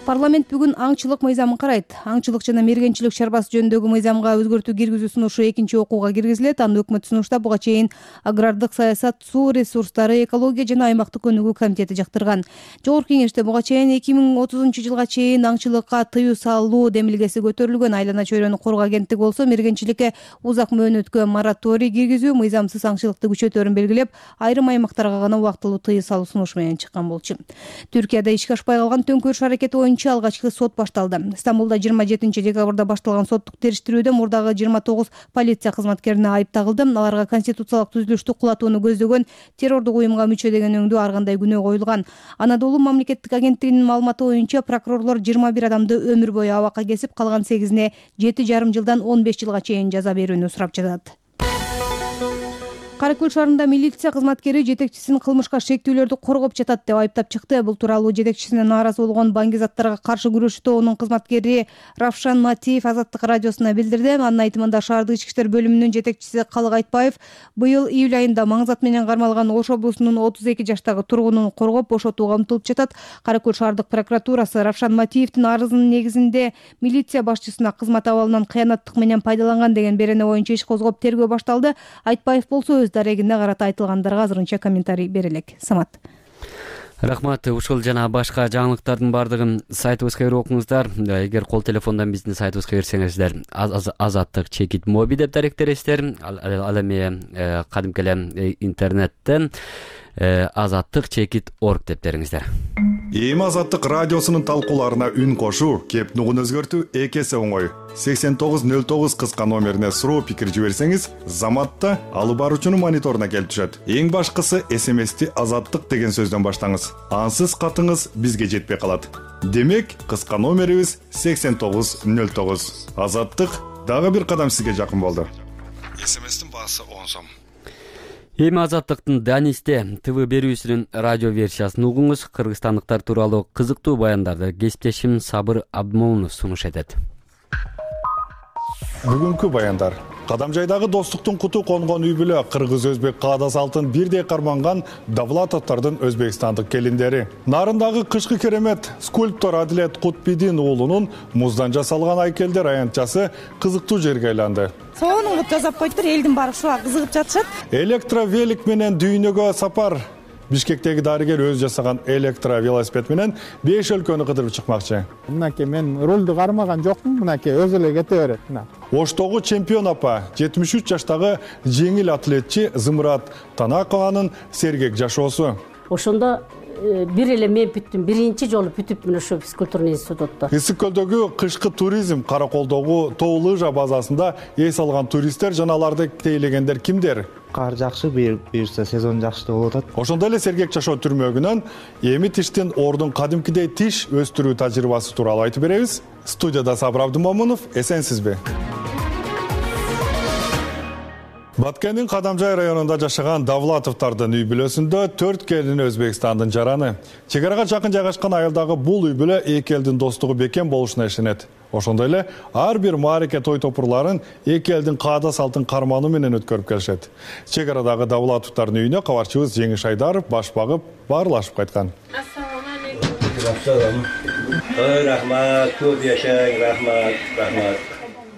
Парламент бүгүн аңчылык мыйзамын карайт. Аңчылык жана мергенчилик чарбасы жөнүндөгү мыйзамга өзгөртүү киргизүү сунушу экинчи окууга киргизилет. Аны өкмөт сунуштап буга чейин агрардык саясат, суу ресурстары, экология жана аймактык өнүгүү комитети жактырган. Жогорку кеңеште буга чейин эки миң отузунчу жылга чейин аңчылыкка тыюу салуу демилгеси көтөрүлгөн. Айлана чөйрөнү коргоо агенттиги болсо мергенчиликке узак мөөнөткө мораторий киргизүү, мыйзамсыз аңчылыкты күчөтөөрүн белгилеп, айрым аймактарга гана убактылуу тыюу салуу сунушу менен чыккан болчу. Түркияда ишке ашпай калган төңкөрүш аракети боюнча алгачкы сот башталды. Стамбулда жыйырма жетинчи декабрда башталган соттук териштирүүдө мурдагы жыйырма тогуз полиция кызматкерине айып тагылды. Аларга конституциялык түзүлүштү кулатууну көздөгөн террордук уюмга мүчө деген өңдүү ар кандай күнөө коюлган. Анадолу мамлекеттик агенттигинин маалыматы боюнча прокурорлор жыйырма бир адамды өмүр бою абакка кесип, калган сегизине жети жарым жылдан он беш жылга чейин жаза берүүнү сурап жатат. Каракөл шаарында милиция кызматкери жетекчисин кылмышка шектүүлөрдү коргоп жатат деп айыптап чыкты. Бул тууралуу жетекчисине нааразы болгон баңгизаттарга каршы күрөшү тобунун кызматкери Равшан Матиев Азаттык радиосуна билдирди. Анын айтымында шаардык ички иштер бөлүмүнүн жетекчиси Калык Айтбаев быйыл июль айында маңзат менен кармалган Ош облусунун отуз эки жаштагы тургунун коргоп бошотууга умтулуп жатат. Каракөл шаардык прокуратурасы Равшан Матиевдин арызынын негизинде милиция башчысына кызмат абалынан кыянаттык менен пайдаланган деген берене боюнча иш козгоп тергөө башталды. Айтбаев болсо өз дарегине карата айтылгандарга азырынча комментарий бере элек. Самат. Рахмат. Ушул жана башка жаңылыктардын баардыгын сайтыбызга кирип окуңуздар. Эгер кол телефондон биздин сайтыбызга кирсеңиздер, азаттык чекит моби деп даректересиздер. Ал эми кадимки эле интернеттен азаттык чекит орг деп бериңиздер. Эми Азаттык радиосунун талкууларына үн кошуу, кеп нугун өзгөртүү эки эсе оңой. сексен тогуз нөл тогуз кыска номерине суроо пикир жиберсеңиз, Заматта алып баруучунун мониторуна келип түшөт. Эң башкысы эс эм эсти Азаттык деген сөздөн баштаңыз. Ансыз катыңыз бизге жетпей калат. Демек, кыска номерибиз сексен тогуз нөл тогуз. Азаттык дагы бир кадам сизге жакын болду. эс эм эстин баасы он сом. Эми Азаттыктын Данисте ТВ берүүсүнүн радио версиясын угуңуз. Кыргызстандыктар тууралуу кызыктуу баяндарды кесиптешим Сабыр Абдмомунов сунуш этет. Бүгүнкү баяндар. Кадамжайдагы достуктун куту конгон үй бүлө кыргыз-өзбек каада салтын бирдей карманган Давлатовдордун өзбекстандык келиндери. Нарындагы кышкы керемет скульптор Адилет Кутбидин уулунун муздан жасалган айкелдер аянтчасы кызыктуу жерге айланды. Сонун кылып жасап койдур, элдин баары ушуга кызыгып жатышат. Электровелик менен дүйнөгө сапар. Бишкектеги дарыгер өз жасаган электровелосипед менен беш өлкөнү кыдырып чыкмакчы. Мынакей мен рулду кармаган жокмун, мынакей өзү эле кете берет. Оштогу чемпион апа, жетимиш үч жаштагы жеңил атлетчи Зымырат Танакованын сергек жашоосу. Ошондо бир эле мен бүттүм, биринчи жолу бүтүпмүн ошо физкультурный институтта. Ысык көлдөгү кышкы туризм Караколдогу тоо лыжа базасында эс алган туристтер жана аларды тейлегендер кимдер? Кар жакшы, буюрса сезон жакшы болуп атат. Ошондой эле сергек жашоо түрмөгүнөн эми тиштин ордун кадимкидей тиш өстүрүү тажрыйбасы тууралуу айтып беребиз. Студияда Сабыр Абдмомунов, эсенсизби? Баткендин Кадамжай районунда жашаган Давлатовдордун үй бүлөсүндө төрт келин Өзбекстандын жараны. Чегарага жакын жайгашкан айылдагы бул үй бүлө эки элдин достугу бекем болушуна ишенет. Ошондой эле ар бир маареке той топурларын эки элдин каада салтын кармануу менен өткөрүп келишет. Чегарадагы Давлатовдордун үйүнө кабарчыбыз Жеңиш Айдаров баш багып баарлашып кайткан. Ассаламу алейкум. Рахмат, көп жашаң, рахмат, рахмат.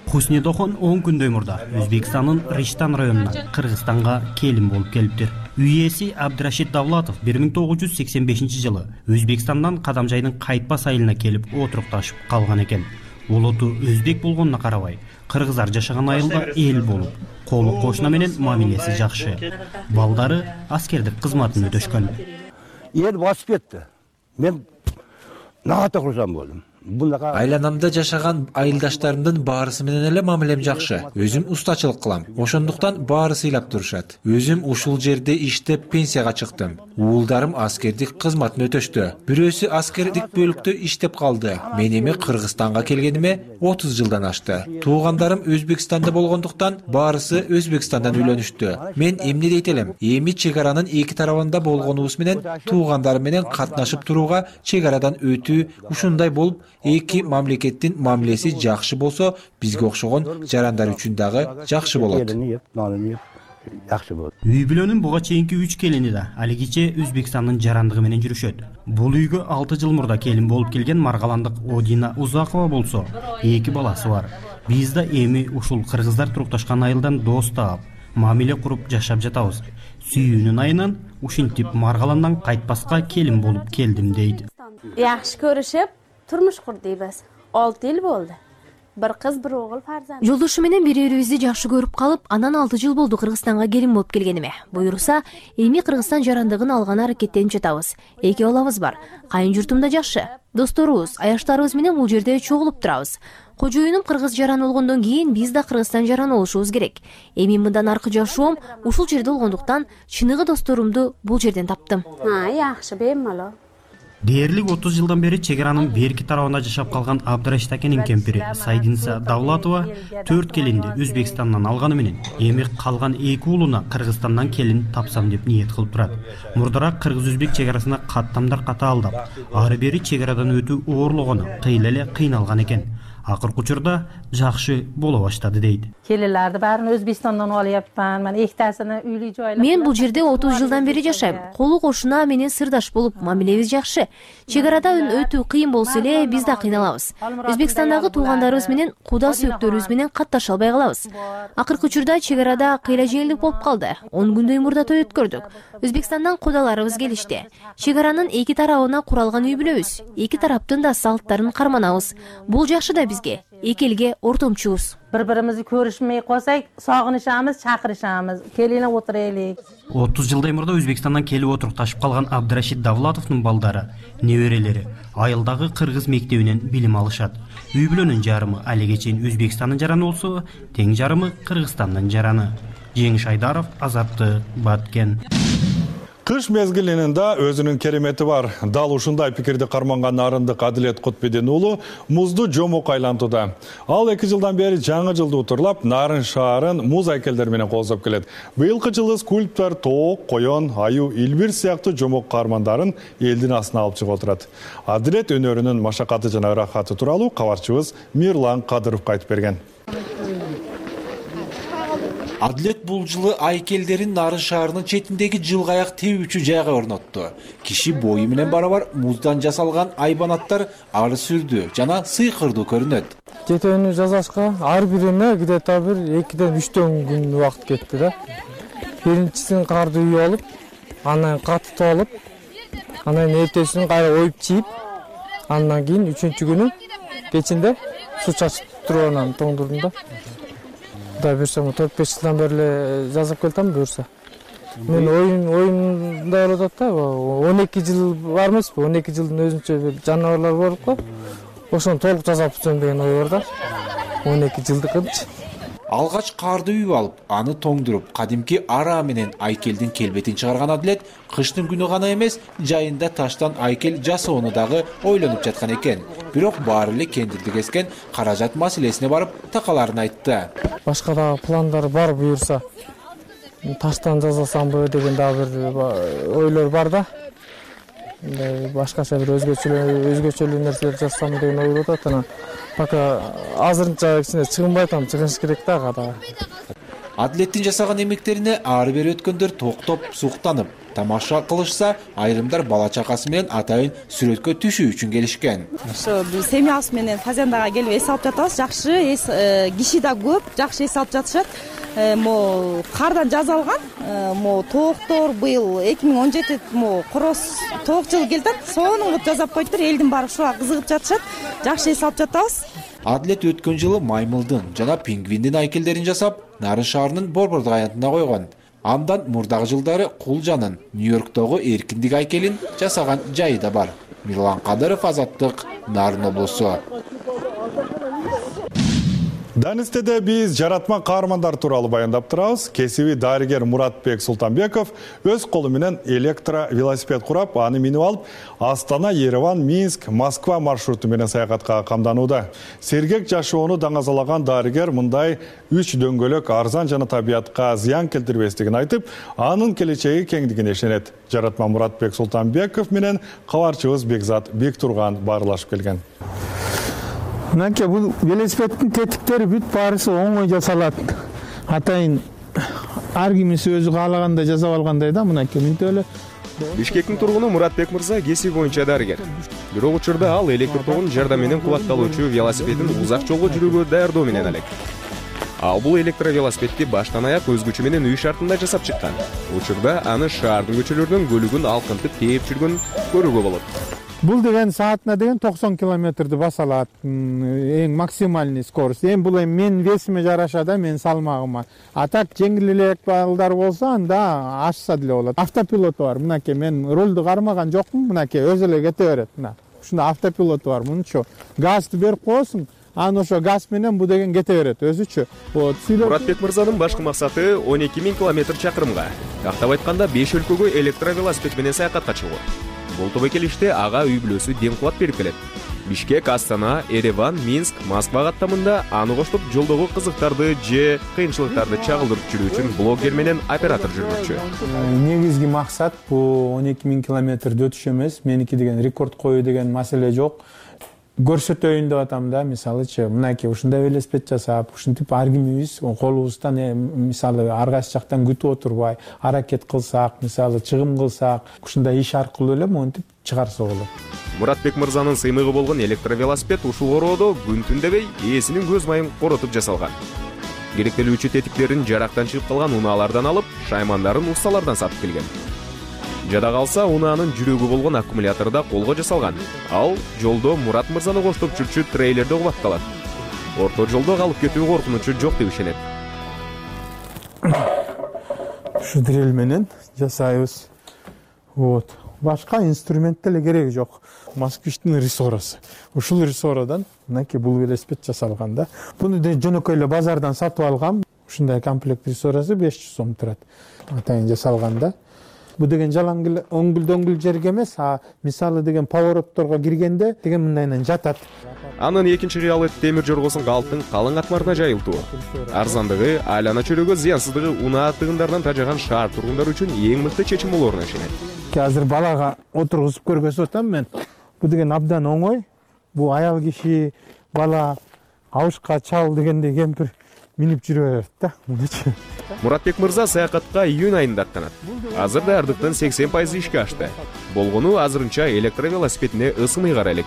Хуснедохон он күндөй мурда Өзбекстандын Риштан районунан Кыргызстанга келин болуп келиптир. Үй ээси Абдрашид Давлатов бир миң тогуз жүз сексен бешинчи жылы Өзбекстандан Кадамжайдын Кайтпас айылына келип отурукташып калган экен. Олоту өзбек болгонуна карабай, кыргыздар жашаган айылда эл болуп, колу кошуна менен мамилеси жакшы. Балдары аскердик кызматын өтөшкөн. Эл басып кетти. Мен наата курсам болдум. Айланамда жашаган айылдаштарымдын баарысы менен эле мамилем жакшы. Өзүм устачылык кылам. Ошондуктан баары сыйлап турушат. Өзүм ушул жерде иштеп пенсияга чыктым. Уулдарым аскердик кызматын өтөштү. Бирөөсү аскердик бөлүктө иштеп калды. Мен эми Кыргызстанга келгениме отуз жылдан ашты. Туугандарым Өзбекстанда болгондуктан баарысы Өзбекстандан үйлөнүштү. Мен эмне дейт элем? Эми чегаранын эки тарабында болгонубуз менен туугандарым менен катнашып турууга, чегарадан өтүү ушундай болуп, эки мамлекеттин мамилеси жакшы болсо, бизге окшогон жарандар үчүн дагы жакшы болот. Үй бүлөнүн буга чейинки үч келини да алигиче Өзбекстандын жарандыгы менен жүрүшөт. Бул үйгө алты жыл мурда келин болуп келген маргаландык Одина Узакова болсо, эки баласы бар. Биз да эми ушул кыргыздар турукташкан айылдан дос таап, мамиле куруп жашап жатабыз. Сүйүүнүн айынан ушинтип маргаландан Кайтпаска келин болуп келдим дейт. Жакшы көрүшүп турмуш курдуйбуз. алты жыл болду. Бир кыз, бир огул фарзанд. Жолдошу менен бири-бирибизди жакшы көрүп калып, анан алты жыл болду Кыргызстанга келин болуп келгениме. Буюрса, эми Кыргызстан жарандыгын алганы аракеттенип жатабыз. Эки балабыз бар. Кайын журтумда жакшы. Досторубуз, аяштарыбыз менен бул жерде чогулуп турабыз. Кожоюнум кыргыз жараны болгондон кийин биз да Кыргызстан жараны болушубуз керек. Эми мындан аркы жашоом ушул жерде болгондуктан чыныгы досторумду бул жерден таптым. Ha, жакшы, беймалуу. Дээрлик отуз жылдан бери чегаранын берки тарабында жашап калган Абдрашид акенин кемпири Сайдинса Давлатова төрт келинди Өзбекстандан алганы менен эми калган эки уулуна Кыргызстандан келин тапсам деп ниет кылып турат. Мурдараак кыргыз-өзбек чегарасына каттамдар ката алдап, ары бери чегарадан өтүү оорлогону кыйла эле кыйналган экен. Акыркы учурда жакшы боло баштады дейт. Келелерди баарын Өзбекстандан алыпман. Мен эктасыны үйлүй жойлап. Мен бул жерде отуз жылдан бери жашайм. Колу кошуна менен сырдаш болуп, мамилебиз жакшы. Чегарада өтүү кыйын болсо эле биз да кыйналабыз. Өзбекстандагы туугандарыбыз менен куда сөөктөрүбүз менен катташа албай калабыз. Акыркы учурда чегарада кыйла жеңилдик болуп калды. он күндөй мурда той өткөрдүк. Өзбекстандан кудаларыбыз келишти. Чегаранын эки тарабына куралган үй бүлөбүз. Эки тараптын да салттарын карманабыз. Бул жакшы да бизге. эки элге ортомчубуз. Бири бирибизди көрүшмөй койсок, согунушабыз, чакырышабыз. Келине отурайлык. отуз жылдай мурда Өзбекстандан келип отурукташып калган Абдрашид Давлатовдун балдары, неберелери айылдагы кыргыз мектебинен билим алышат. Үй бүлөнүн жарымы алиге чейин Өзбекстандын жараны болсо, тең жарымы Кыргызстандын жараны. Жеңиш Айдаров, Азаттык, Баткен. Кыш мезгилинин да өзүнүн керемети бар. Дал ушундай пикирди карманган Нарындык Адилет Кутбедин уулу музду жомок айлантууда. Ал эки жылдан бери жаңы жылды утурлап, Нарын шаарын муз айкелдер менен коозоп келет. Быйылкы жылы скульптор тоок, коён, аю, илбир сыяктуу жомок каармандарын элдин астына алып чыгып отурат. Адилет өнөрүнүн машакаты жана ырахаты тууралуу кабарчыбыз Мирлан Кадыровго айтып берген. Адилет бул жылы айкелдерин Нарын шаарынын четиндеги жылгаяк тебүүчү жайга орнотту. Киши бою менен барабар муздан жасалган айбанаттар ары сүрдүү жана сыйкырдуу көрүнөт. Кетүүнү жасашка ар бирине где-то бир экиден үчтөн күн убакыт кетти да. Биринчисин карды үйүп алып, анан катытып алып, анан эртесин кайра оюп чийип, андан кийин үчүнчү күнү кечинде суу чачып туруп анан тоңдурдум да. Да берсем төрт беш жылдан бери жазып келатам буюрса. Мен оюн оюнда болуп атат да, он эки жыл бар эмеспи? он эки жылдын өзүнчө бир жаныбарлар болуп го. Ошону толук жасап бүтсөм деген ой бар да. он эки жылдыкынчы. Алгач карды үйүп алып, аны тоңдуруп, кадимки ара менен айкелдин келбетин чыгарган Адилет кыштын күнү гана эмес, жайында таштан айкел жасоону дагы ойлонуп жаткан экен. Бирок баары эле кендирди кескен каражат маселесине барып такаларын айтты. Башка да пландар бар буюрса. Таштан жасасамбы деген дагы бир ойлор бар да. Башкача бир өзгөчө өзгөчөлүү нерселер жасасам деген ой болуп атат. Пока азырынча кичине чыгынбай атам, чыгыш керек да када. Адилеттин жасаган эмектерине ары бери өткөндөр токтоп, суктанып, тамаша кылышса, айрымдар бала чакасы менен атайын сүрөткө түшүү үчүн келишкен. Ошо семьябыз менен Фазендага келип эс алып жатабыз. Жакшы, киши да көп, жакшы эс алып жатышат. Мо кардан жасалган, мо тооктор быйыл эки миң он жети мо короз тоок жылы келатат. Сонун жасап коюптур, элдин баары ушуга кызыгып жатышат. Жакшы эс алып жатабыз. Адилет өткөн жылы маймылдын жана пингвиндин айкелдерин жасап, Нарын шаарынын борбордук аянтына койгон. Андан мурдагы жылдары Кулжанын Нью-Йорктогу эркиндик айкелин жасаган жайы да бар. Мирлан Кадыров, Азаттык, Нарын облусу. Данистеде биз жаратма каармандар тууралуу баяндап турабыз. Кесиби дарыгер Муратбек Султанбеков өз колу менен электро велосипед курап, аны минип алып, Астана, Ереван, Минск, Москва маршруту менен саякатка камданууда. Сергек жашоону даңазалаган дарыгер мындай үч дөңгөлөк арзан жана табиятка зыян келтирбестигин айтып, анын келечеги кеңдигине ишенет. Жаратма Муратбек Султанбеков менен кабарчыбыз Бекзат Бектурган баарлашып келген. Мынакей бул велосипедтин тетиктери бүт баарысы оңой жасалат. Атайын ар кимиси өзү каалагандай жасап алгандай да, мынакей мынтип эле. Бишкектин тургуну Муратбек мырза кесиби боюнча дарыгер. Бирок учурда ал электр тогун жардам менен кубатталуучу велосипедин узак жолго жүрүүгө даярдоо менен алек. Ал бул электро велосипедти баштан аяк өз күчү менен үй шартында жасап чыккан. Учурда аны шаардын көчөлөрүнүн көлүгүн алкынтып тээп жүргөн көрүүгө болот. Бул деген саатына деген токсон километрди баса алат. Эң максимальный скорость. Эми бул эми менин весиме жараша да, менин салмагыма. А так жеңил элек балдар болсо анда ашса деле болот. Автопилоту бар. Мынакей мен рулду кармаган жокмун. Мынакей өзү эле кете берет. Мына. Ушунда автопилоту бар. Мунчу газды берип коесуң, анан ошо газ менен бу деген кете берет өзүчө. Вот. Муратбек мырзанын башкы максаты он эки миң километр чакырымга. Тактап айтканда беш өлкөгө электро велосипед менен саякатка чыгуу. Бул топ келиште ага үй бүлөсү дем кубат берип келет. Бишкек, Астана, Ереван, Минск, Москва каттамында аны коштоп жолдогу кызыктарды же кыйынчылыктарды чагылдырып жүрүү үчүн блогер менен оператор жүргүзчү. Негизги максат бул он эки миң километрди өтүш эмес, меники деген рекорд коюу деген маселе жок. Көрсөтөйүн деп атам да, мисалычы, мынакей ушундай велосипед жасап, ушинтип ар кимибиз колубуздан мисалы ар кайсы жактан күтүп отурбай, аракет кылсак, мисалы чыгым кылсак, ушундай иш аркылуу эле монтип чыгарса болот. Муратбек мырзанын сыймыгы болгон электро велосипед ушул ороодо күн түн дебей ээсинин көз майын коротуп жасалган. Керектелүүчү тетиктерин жарактан чыгып калган унаалардан алып, шаймандарын усталардан сатып келген. Жада калса, унаанын жүрөгү болгон аккумуляторда колго жасалган. Ал жолдо Мурат мырзаны коштоп жүрчү трейлерде кубатталат. орто жолдо калып кетүү коркунучу жок деп ишенет. Ушу дрель менен жасайбыз. Вот. Башка инструмент деле кереги жок. Москвичтин рессорасы. Ушул рессорадан мынакей бул велосипед жасалган да. Буну жөнөкөй эле базардан сатып алгам. Ушундай комплект рессорасы беш жүз сом турат. Атайын жасалган да. Бу деген жалаң эле оңгүл-дөңгүл жерге эмес, а мисалы деген поворотторго киргенде деген мындайынан жатат. Анын экинчи кыялы темир жоргосун калктын калың катмарына жайылтуу. Арзандыгы, айлана чөлөгө зыянсыздыгы унаа тыгындарынан тажаган шаар тургундар үчүн эң мыкты чечим болоруна ишенет. Азыр балага отургузуп көргөзүп атам мен. Бу деген абдан оңой. Бу аял киши, бала, абышка чал дегендей кемпир минип жүрө берет да. Мынычы. Муратбек мырза саякатка июнь айында аттанат. Азыр даярдыктын сексен пайызы ишке ашты. Болгону азырынча электровелосипедине ысымый кара элек.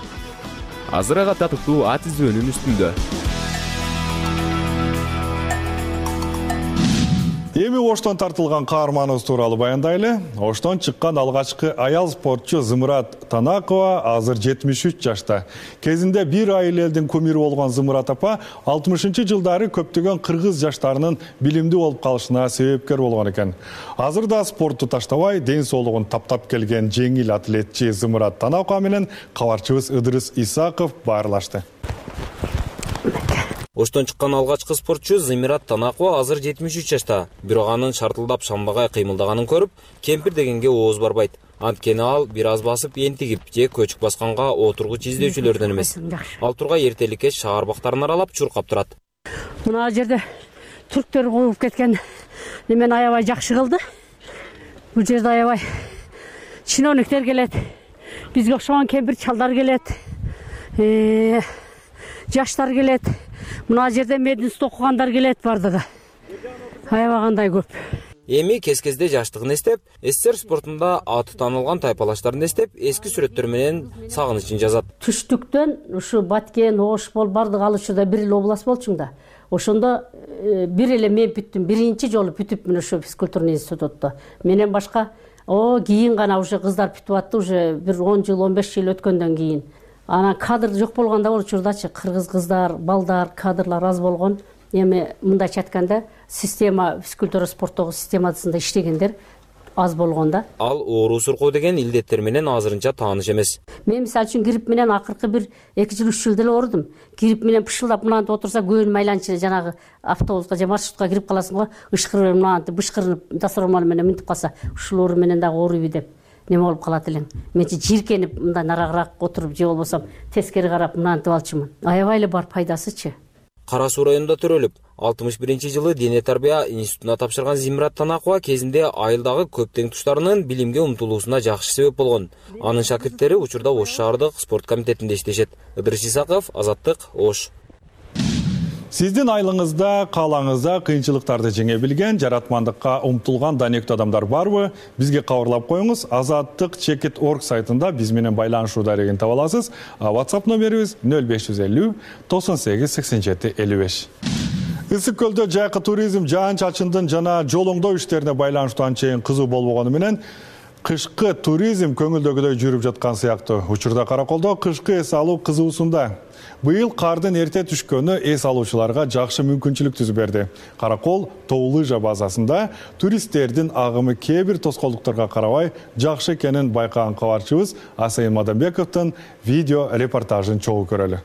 Азыр ага татыктуу ат издөөнүн үстүндө. Эми Оштон тартылган каарманыбыз тууралуу баяндайлы. Оштон чыккан алгачкы аял спортчу Зымырат Танакова азыр жетимиш үч жашта. Кезинде бир айыл элдин кумиру болгон Зымырат апа алтымышынчы жылдары көптөгөн кыргыз жаштарынын билимдүү болуп калышына себепкер болгон экен. Азыр да спортту таштабай, ден соолугун таптап келген жеңил атлетчи Зымырат Танакова менен кабарчыбыз Ыдырыс Исаков баарлашты. Оштон чыккан алгачкы спортчу Зымырат Танакова азыр жетимиш үч жашта. Бирок анын шартылдап шамбагай кыймылдаганын көрүп, кемпир дегенге ооз барбайт. Анткени ал бир аз басып энтигип же көчүк басканга отургуч издөөчүлөрдөн эмес. Ал тургай эртеликке шаар бактарын аралап чуркап турат. Мына жерде түрктөр коюп кеткен немени аябай жакшы кылды. Бул жерде аябай чиновниктер келет. Бизге окшогон кемпир чалдар келет. Э, жаштар келет. Мына жерде мединститут окугандар келет бардыгы. Аябай кандай көп. Эми кез-кезде жаштыгын эстеп, СССР спортунда аты таанылган тайпалаштарын эстеп, эски сүрөттөр менен сагынычын жазат. Түштүктөн ушу Баткен, Ошбол бардыгы ал учурда бир эле область болчуң да. Ошондо бир эле мен бүттүм. Биринчи жолу бүтүпмүн ушу физкультурный институтта. Менен башка о кийин гана уже кыздар бүтүп атты, уже бир он жыл, он беш жыл өткөндөн кийин. Анан кадр жок болгондо бул учурдачы кыргыз кыздар, балдар, кадрлар аз болгон. Эми мындайча айтканда, система физкультура спорттогу системасында иштегендер аз болгонда. Ал оору суркоо деген илдеттер менен азырынча тааныш эмес. Мен мисалы үчүн грипп менен акыркы бир эки жыл, үч жыл деле оорудум. Грипп менен пышылдап мынантип отурса, көбүн майланчы жанагы автобуска же маршрутка кирип каласың го, ышкырып мынантип бышкырынып дасормал менен минтип калса, ушул оору менен дагы ооруйбу деп неме болуп калат элең. Менчи жиркенип мындай нарагыраак отуруп же болбосом тескери карап мынантип алчумун. Аябай эле бар пайдасычы. Кара Суу районунда төрөлүп, алтымыш биринчи жылы дене тарбия институтуна тапшырган Зымырат Танакова кезинде айылдагы көп тең туштарынын билимге умтулуусуна жакшы себеп болгон. Анын шакирттери учурда Ош шаардык спорт комитетинде иштешет. Ыдырыс Исаков, Азаттык, Ош. Сиздин айылыңызда, каалаңызда кыйынчылыктарды жеңе билген, жаратмандыкка умтулган данектүү адамдар барбы? Бизге кабарлап коюңуз. Азаттык чекит точка орг сайтында биз менен байланышуу дарегин таба аласыз. WhatsApp номерибиз нөл беш жүз элүү токсон сегиз сексен жети элүү беш. Ысык көлдө жайкы туризм жаан-чачындын жана жол оңдоо иштерине байланыштуу анчейин кызуу болбогону менен кышкы туризм көңүлдөгүдөй жүрүп жаткан сыяктуу. Учурда Караколдо кышкы эс алуу кызуусунда. Быйыл кардын эрте түшкөнү эс алуучуларга жакшы мүмкүнчүлүк түзүп берди. Каракол тоо лыжа базасында туристтердин агымы кээ бир тоскоолдуктарга карабай жакшы экенин байкаган кабарчыбыз Асайын Мадамбековдун видео репортажын чогуу көрөлү.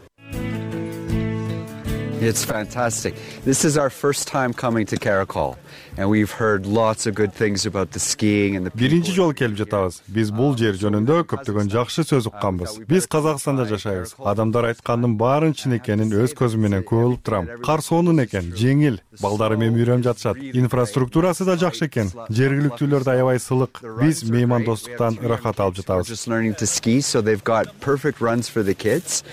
It's fantastic. This is our first time coming to Karakol, and we've heard lots of good things about the skiing and the people. Биринчи жолу келип жатабыз. Биз бул жер жөнүндө көптөгөн жакшы сөз укканбыз. Биз Казакстанда жашайбыз. Адамдар айткандын баарын чын экенин өз көзүм менен көрүп турам. Кар сонун экен, жеңил, балдары менен үйрөнүп жатышат. Инфраструктурасы да жакшы экен. Жергиликтүүлөр да аябай сылык. Биз меймандостуктан ырахат алып жатабыз. Just learning to ski, so they've got perfect runs for the kids.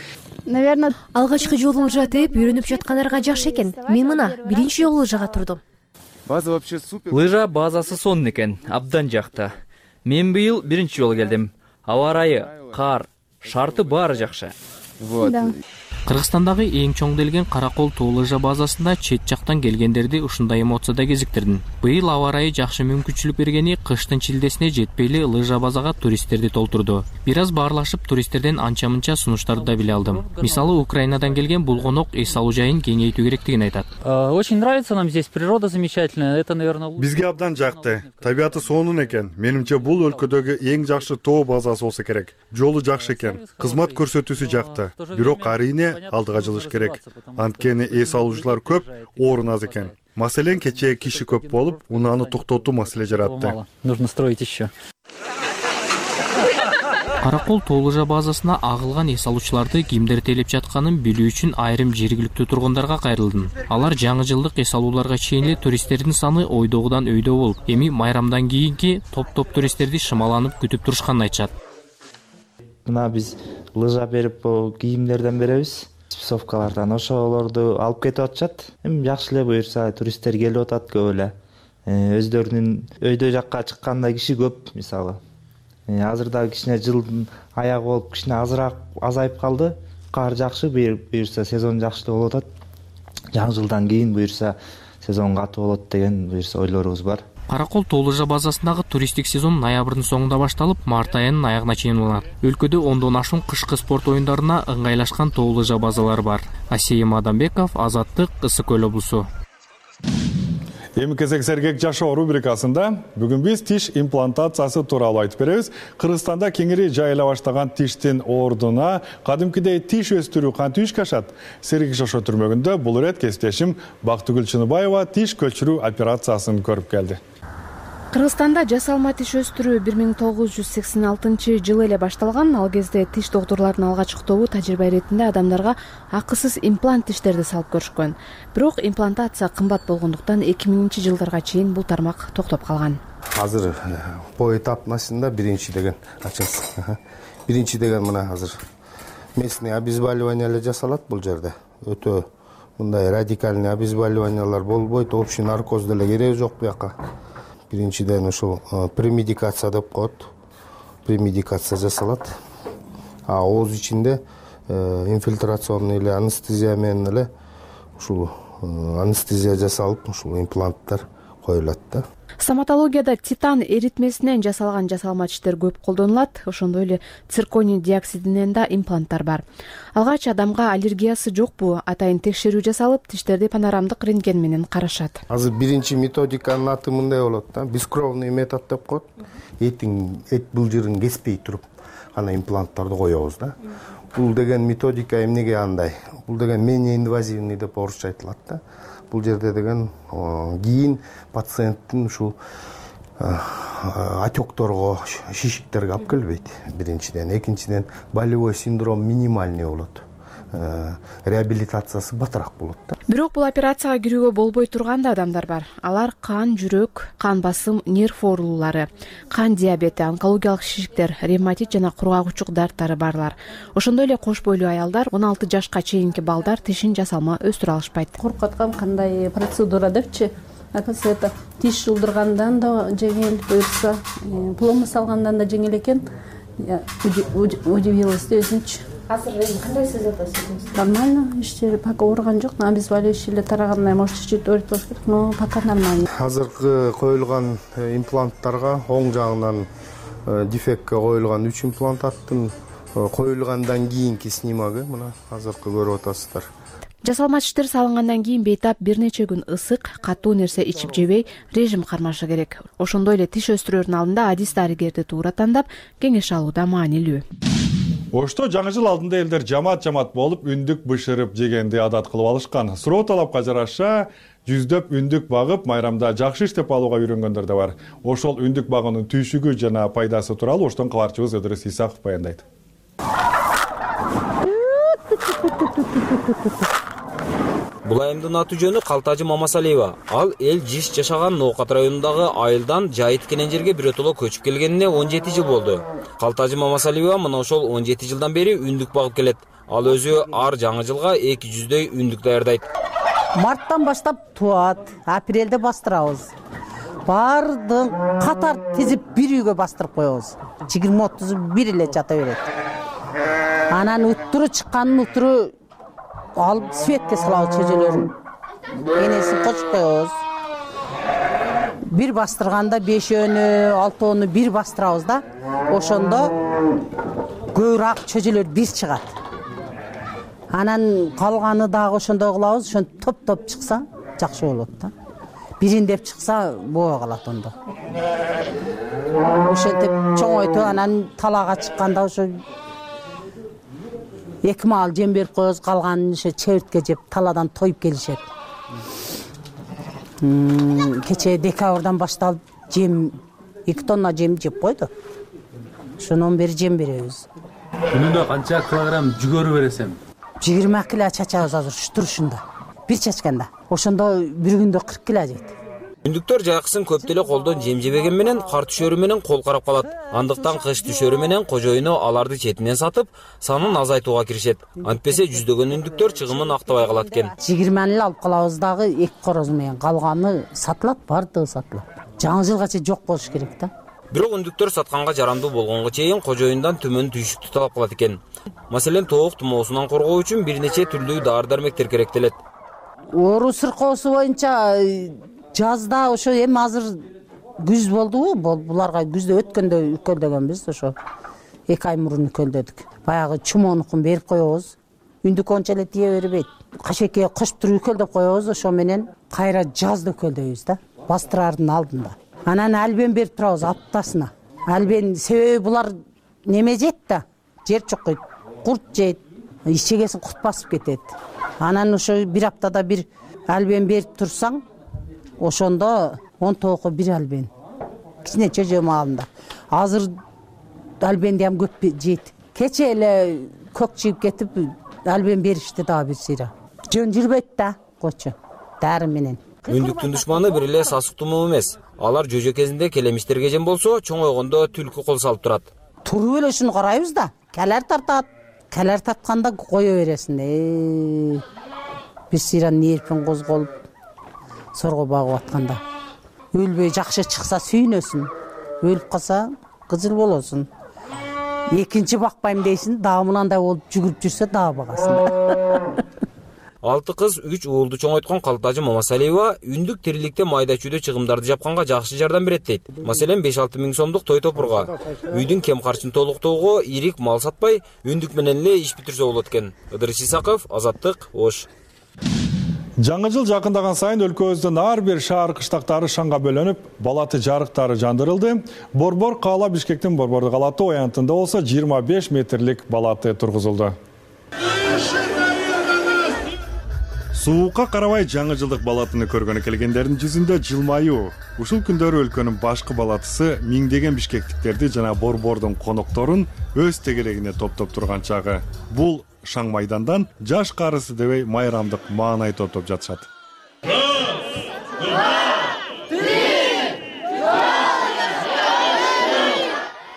Наверное, алгачкы жолу лыжа теуп үйрөнүп жаткандарга жакшы экен. Мен мына биринчи жолу лыжага турдум. База вообще супер. Лыжа базасы сонун экен, абдан жакты. Мен быйыл биринчи жолу келдим. Аба ырайы, кар, шарты баары жакшы. Вот. Кыргызстандагы эң чоң делген Каракол тоо лыжа базасында чет жактан келгендерди ушундай эмоцияда кезиктирдим. Быйыл аба ырайы жакшы мүмкүнчүлүк бергени кыштын чилдесине жетпейли лыжа базага туристтерди толтурду. Бир аз баарлашып туристтерден анча-мынча сунуштарды да биле алдым. Мисалы, Украинадан келген булгонок эс алуу жайын кеңейтүү керектигин айтат. Очень нравится нам здесь, природа замечательная. Это, наверное, бизге абдан жакты. Табиаты сонун экен. Менимче бул өлкөдөгү эң жакшы тоо базасы болсо керек. Жолу жакшы экен. Кызмат көрсөтүүсү жакты. Бирок арийне алдыга жылыш керек. Анткени эс алуучулар көп, орун аз экен. Маселен, кечээ киши көп болуп, унааны токтотуу маселе жаратты. Нужно строить еще. Каракол тоо лыжа базасына агылган эс алуучуларды кимдер тейлеп жатканын билүү үчүн айрым жергиликтүү тургундарга кайрылдым. Алар жаңы жылдык эс алууларга чейин эле туристтердин саны ойдогудан өйдө болуп, эми майрамдан кийинки топ-топ туристтерди шымаланып күтүп турушканын айтышат. Мына биз лыжа берип кийимдерден беребиз, спецовкалардан ошолорду алып кетип атышат. Эми жакшы эле буюрса туристтер келип атат көп эле. Өздөрүнүн өйдө жакка чыкканда киши көп, мисалы. Азырда кичине жылдын аягы болуп кичине азыраак азайып калды. Кар жакшы, буюрса сезон жакшы болуп атат. Жаңы жылдан кийин буюрса сезон катуу болот деген буюрса ойлорубуз бар. Каракол тоо лыжа базасындагы туристтик сезон ноябрдын соңунда башталып, март айынын аягына чейин уланат. Өлкөдө ондон ашуун кышкы спорт оюндарына ыңгайлашкан тоо лыжа базалары бар. Асейим Адамбеков, Азаттык, Ысык Көл облусу. Эми кезек сергек жашоо рубрикасында бүгүн биз тиш имплантациясы тууралуу айтып беребиз. Кыргызстанда кеңири жайыла баштаган тиштин ордуна кадимкидей тиш өстүрүү кантип ишке ашат? Сергек жашоо түрмөгүндө бул ирет кесиптешим Бактыгүл Чыныбаева тиш көчүрүү операциясын көрүп келди. Кыргызстанда жасалма тиш өстүрүү бир миң тогуз жүз сексен алтынчы жылы эле башталган. Ал кезде тиш доктурлорунун алгачкы тажрыйба иретинде адамдарга акысыз имплант тиштерди салып көрүшкөн. Бирок имплантация кымбат болгондуктан эки миңинчи жылдарга чейин бул тармак токтоп калган. Азыр поэтапнасында биринчи деген ачасыз. Биринчи деген мына азыр местный обезболивание эле жасалат бул жерде. Өтө мындай радикальный обезболиваниялар болбойт, общий наркоз деле кереги жок буяка. Биринчиден ушул премедикация деп коет. Премедикация жасалат. А ооз ичинде инфильтрационный эле анестезия менен эле ушул анестезия жасалып, ушул импланттар коюлат да. Стоматологияда титан эритмесинен жасалган жасалма тиштер көп колдонулат. Ошондой эле цирконий диоксидинен да импланттар бар. Алгач адамга аллергиясы жокпу, атайын текшерүү жасалып, тиштерди панорамдык рентген менен карашат. Азыр биринчи методиканын аты мындай болот да, бескровный метод деп коет. Этиң эт былжырын кеспей туруп ана импланттарды коебуз да. Бул деген методика эмнеге андай? Бул деген менее инвазивный деп орусча айтылат да. Бул жерде деген кийин пациенттин ушул отекторго, шишиктерге алып келбейт. Биринчиден, экинчиден болевой синдром минимальный болот. Реабилитациясы батыраак болот да. Бирок бул операцияга кирүүгө болбой турган да адамдар бар. Алар кан, жүрөк, кан басым, нерв оорулары, кан диабети, онкологиялык шишиктер, ревматит жана кургагучук дарттары барлар. Ошондой эле кош бойлуу аялдар, он алты жашка чейинки балдар тишин жасалма өстүрө алышпайт. Коркуткан кандай процедура депчи? Акасы это тиш жылдыргандан да жеңил, буюрса пломба салгандан да жеңил экен. Я удивилась өзүнчү. Азыр кандай сезип атасыз? Нормально, иште пока ооруган жок, обезболивающий эле тарагандай, может чуть-чуть ооруп болуш керек, но пока нормально. Азыркы коюлган импланттарга оң жагынан дефектке коюлган үч импланттын коюлгандан кийинки снимогу мына азыркы көрүп атасыздар. Жасалма тиштер салынгандан кийин бейтап бир нече күн ысык, катуу нерсе ичип жебей, режим кармашы керек. Ошондой эле тиш өстүрүүнүн алдында адис дарыгерди туура тандап, кеңеш алуу да маанилүү. Ошто жаңы жыл алдында элдер жамаат-жамаат болуп үндүк бышырып жегенди адат кылып алышкан. Суроо талапка жараша жүздөп үндүк багып, майрамда жакшы иштеп алууга үйрөнгөндөр да бар. Ошол үндүк багуунун түйшүгү жана пайдасы тууралуу Оштон кабарчыбыз Өдүрүс Исаков баяндайт. Бул айымдын аты жөнү Калтажы Мамасалиева. Ал эл жиш жашаган Ноокат районундагы айылдан жайыт кенен жерге бирөтөлө көчүп келгенине он жети жыл болду. Калтажы Мамасалиева мына ошол он жети жылдан бери үндүк багып келет. Ал өзү ар жаңы жылга эки жүздөй үндүк даярдайт. Марттан баштап туат, апрелде бастырабыз. Бардын катар тизип бир үйгө бастырып коебуз. жыйырма отуз бир эле жата берет. Анан уттуру чыкканын уттуру алып светке салабыз чөжөлөрүн. Энесин кошуп коебуз. Бир бастырганда бешөөнү, алтоону бир бастырабыз да. Ошондо көбүрөөк чөжөлөр бир чыгат. Анан калганы дагы ошондой кылабыз. Ошон топ-топ чыкса жакшы болот да. Бириндеп чыкса боо калат ондо. Ошентип чоңойтуп анан талаага чыкканда ошо эки маал жем берип коебуз, калганын ошо чебиртке жеп таладан тоюп келишет. Кечээ декабрдан башталып жем эки тонна жем жеп койду. Ошондон бери жем беребиз. Күнүндө канча килограмм жүгөрү бересем? жыйырма кило чачабыз азыр ушу турушунда. Бир чачканда. Ошондо бир күндө кырк кило жейт. Үндүктөр жайкысын көп деле колдон жем жебеген менен кар түшөрү менен кол карап калат. Андыктан кыш түшөрү менен кожоюну аларды четинен сатып, санын азайтууга киришет. Антпесе жүздөгөн үндүктөр чыгымын актабай калат экен. жыйырманы эле алып калабыз дагы эки короз менен, калганы сатылат, бардыгы сатылат. Жаңы жылгача жок болуш керек да. Бирок үндүктөр сатканга жарамдуу болгонго чейин кожоюндан төмөн түйшүктү талап кылат экен. Маселен, тоок тумоосунан коргоо үчүн бир нече түрлүү дары-дармектер керектелет. Оору сыркоосу боюнча жазда ошо эми азыр күз болдубу? Буларга күздө өткөндө үкөлдөгөнбүз, ошо эки ай мурун үкөлдөдүк. Баягы чумоонукун берип коебуз. Үндүк онча эле тие бербейт. Кашекеге кошуп туруп үкөлдөп коебуз, ошо менен кайра жазда үкөлдөйбүз да, бастырардын алдында. Анан албен берип турабыз аптасына. Албен себеби булар неме жейт да, жер чокойт, курт жейт, ичегесин курт басып кетет. Анан ошо бир аптада бир албен берип турсаң, ошондо он тоокко бир албен. Кичине чөжө маалында. Азыр албенди ham көп жейт. Кече эле көк жийип кетип, албен беришти дагы бир сыйра. Жөн жүрбөйт да, койчу. Дары менен. Үндүктүн душманы бир эле сасык тумоо эмес. Алар жөжө кезинде келемиштерге жем болсо, чоңойгондо түлкү кол салып турат. Туруп эле ушуну карайбыз да. Калар тартат. Калар тартканда кое бересиң. Э. Бир сыйра нерпин козголуп сорго багып атканда. Өлбөй жакшы чыкса сүйнөсүн. Өлүп калса кызыл болосун. Экинчи бакпайм дейсиң, дагы мынандай болуп жүгүрүп жүрсө дагы багасың. Алты кыз үч уулду чоңойткон Калтажы Мамасалиева үндүк тириликте майда чүйдө чыгымдарды жапканга жакшы жардам берет дейт. Маселен, беш алты миң сомдук той топурга, үйдүн кем карчын толуктоого ирик мал сатпай, үндүк менен эле иш бүтүрсө болот экен. Ыдырыс Исаков, Азаттык, Ош. Жаңы жыл жакындаган сайын өлкөбүздүн ар бир шаар кыштактары шаңга бөлөнүп, балаты жарыктары жандырылды. Борбор каала Бишкектин Борборду калаты оянтында болсо жыйырма беш метрлик балаты тургузулду. Суукка карабай жаңы жылдык балатыны көргөнү келгендердин жүзүндө жылмаюу. Ушул күндөрү өлкөнүн башкы балатысы миңдеген бишкектиктерди жана борбордун конокторун өз тегерегине топтоп турган чагы. Бул шаң майдандан жаш карысы дебей майрамдык маанай топтоп жатышат.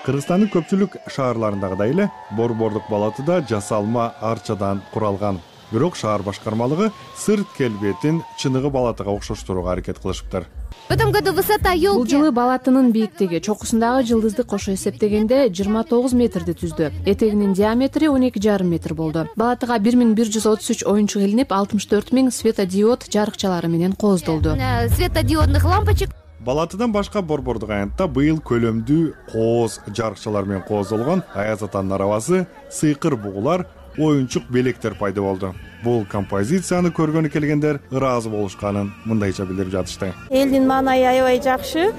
Кыргызстандын көпчүлүк шаарларындагыдай эле борбордук балатыда жасалма арчадан куралган. Бирок шаар башкармалыгы сырт келбетин чыныгы балатыга окшоштурууга аракет кылышыптыр. В этом году высота елки. Бул жылы балатынын бийиктиги чокусундагы жылдызды кошо эсептегенде жыйырма тогуз метрди түздү. Этегинин диаметри он эки жарым метр болду. Балатыга бир миң бир жүз отуз үч оюнчук илинип, алтымыш төрт миң светодиод жарыкчалары менен кооздолду. Светодиодных лампочек. Балатыдан башка борбордук аянтта быйыл көлөмдүү кооз жарыкчалар менен кооздолгон Аяз атанын арабасы, сыйкыр бугулар, оюнчук белектер пайда болду. Бул композицияны көргөнү келгендер ыраазы болушканын мындайча билдирип жатышты. Элдин маанайы аябай жакшы.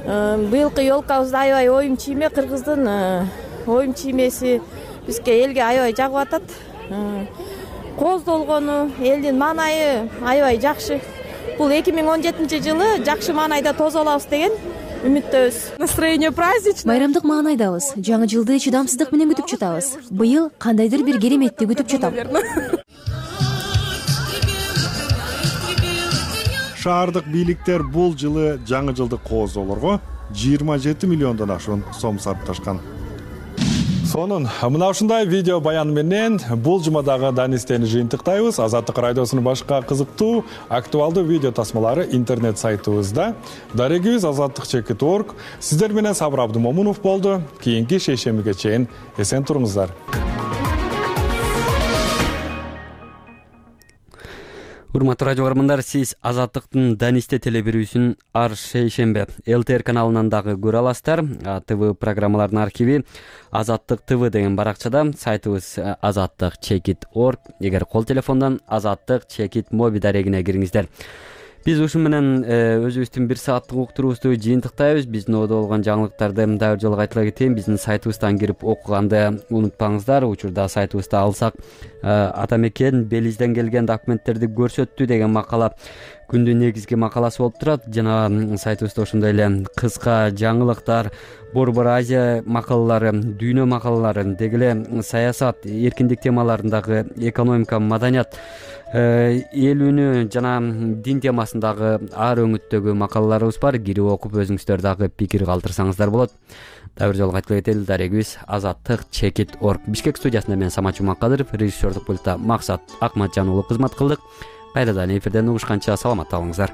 Быйылкы ёлкабыз аябай оюн чийме, кыргыздын оюн чиймеси бизге элге аябай жагып атат. Кооздолгону, элдин маанайы аябай жакшы. Бул эки миң он жетинчи жылы жакшы маанайда тосо алабыз деген үмүттөбүз. Настроение праздничное. Байрамдык маанайдабыз. Жаңы жылды чыдамсыздык менен күтүп жатабыз. Быйыл кандайдыр бир кереметти күтүп жатам. Шаардык бийликтер бул жылы жаңы жылдык кооздоолорго жыйырма жети миллиондон ашуун сом сарпташкан. Сонун мына ушундай видео баян менен бул жумадагы данистени жыйынтыктайбыз. Азаттык радиосунун башка кызыктуу, актуалдуу видео тасмалары интернет сайтыбызда. Дарегибиз азаттык чекит точка орг. Сиздер менен Сабыр Абдымомунов болду. Кийинки шейшембиге чейин эсен туруңуздар. урматтуу радио көрөрмандар, сиз Азаттыктын Данисте телебирүүсүн ар шейшембе ЛТР каналынан дагы көрө аласыздар. ТВ программалардын архиви Азаттык ТВ деген баракчада, сайтыбыз азаттык чекит точка орг. Эгер кол телефондон азаттык чекит моби дарегине кириңиздер. Биз ушу менен өзүбүздүн бир сааттык уктуруубузду жыйынтыктайбыз. Биздин ободо болгон жаңылыктарды дагы жолу кайтала кетейин. Биздин сайтыбыздан кирип окуганды унутпаңыздар. Учурда сайтыбызда алсак, Атамекен Белизден келген документтерди көрсөттү деген макала күндүн негизги макаласы болуп турат. Жана сайтыбызда ошондой эле кыска жаңылыктар, Борбор Азия макалалары, дүйнө макалалары, деги эле саясат, эркиндик темаларындагы экономика, маданият, эл үнү жана дин темасындагы ар өңүттөгү макалаларыбыз бар. Кирип окуп өзүңүздөр дагы пикир калтырсаңыздар болот. Дагы бир жолу кайтыла кетели. Дарегибиз азаттык чекит точка орг. Бишкек студиясында мен Самат Жумакадыров, режиссердук пультта Максат Акматжан уулу кызмат кылдык. Кайрадан эфирден угушканча саламатта болуңуздар.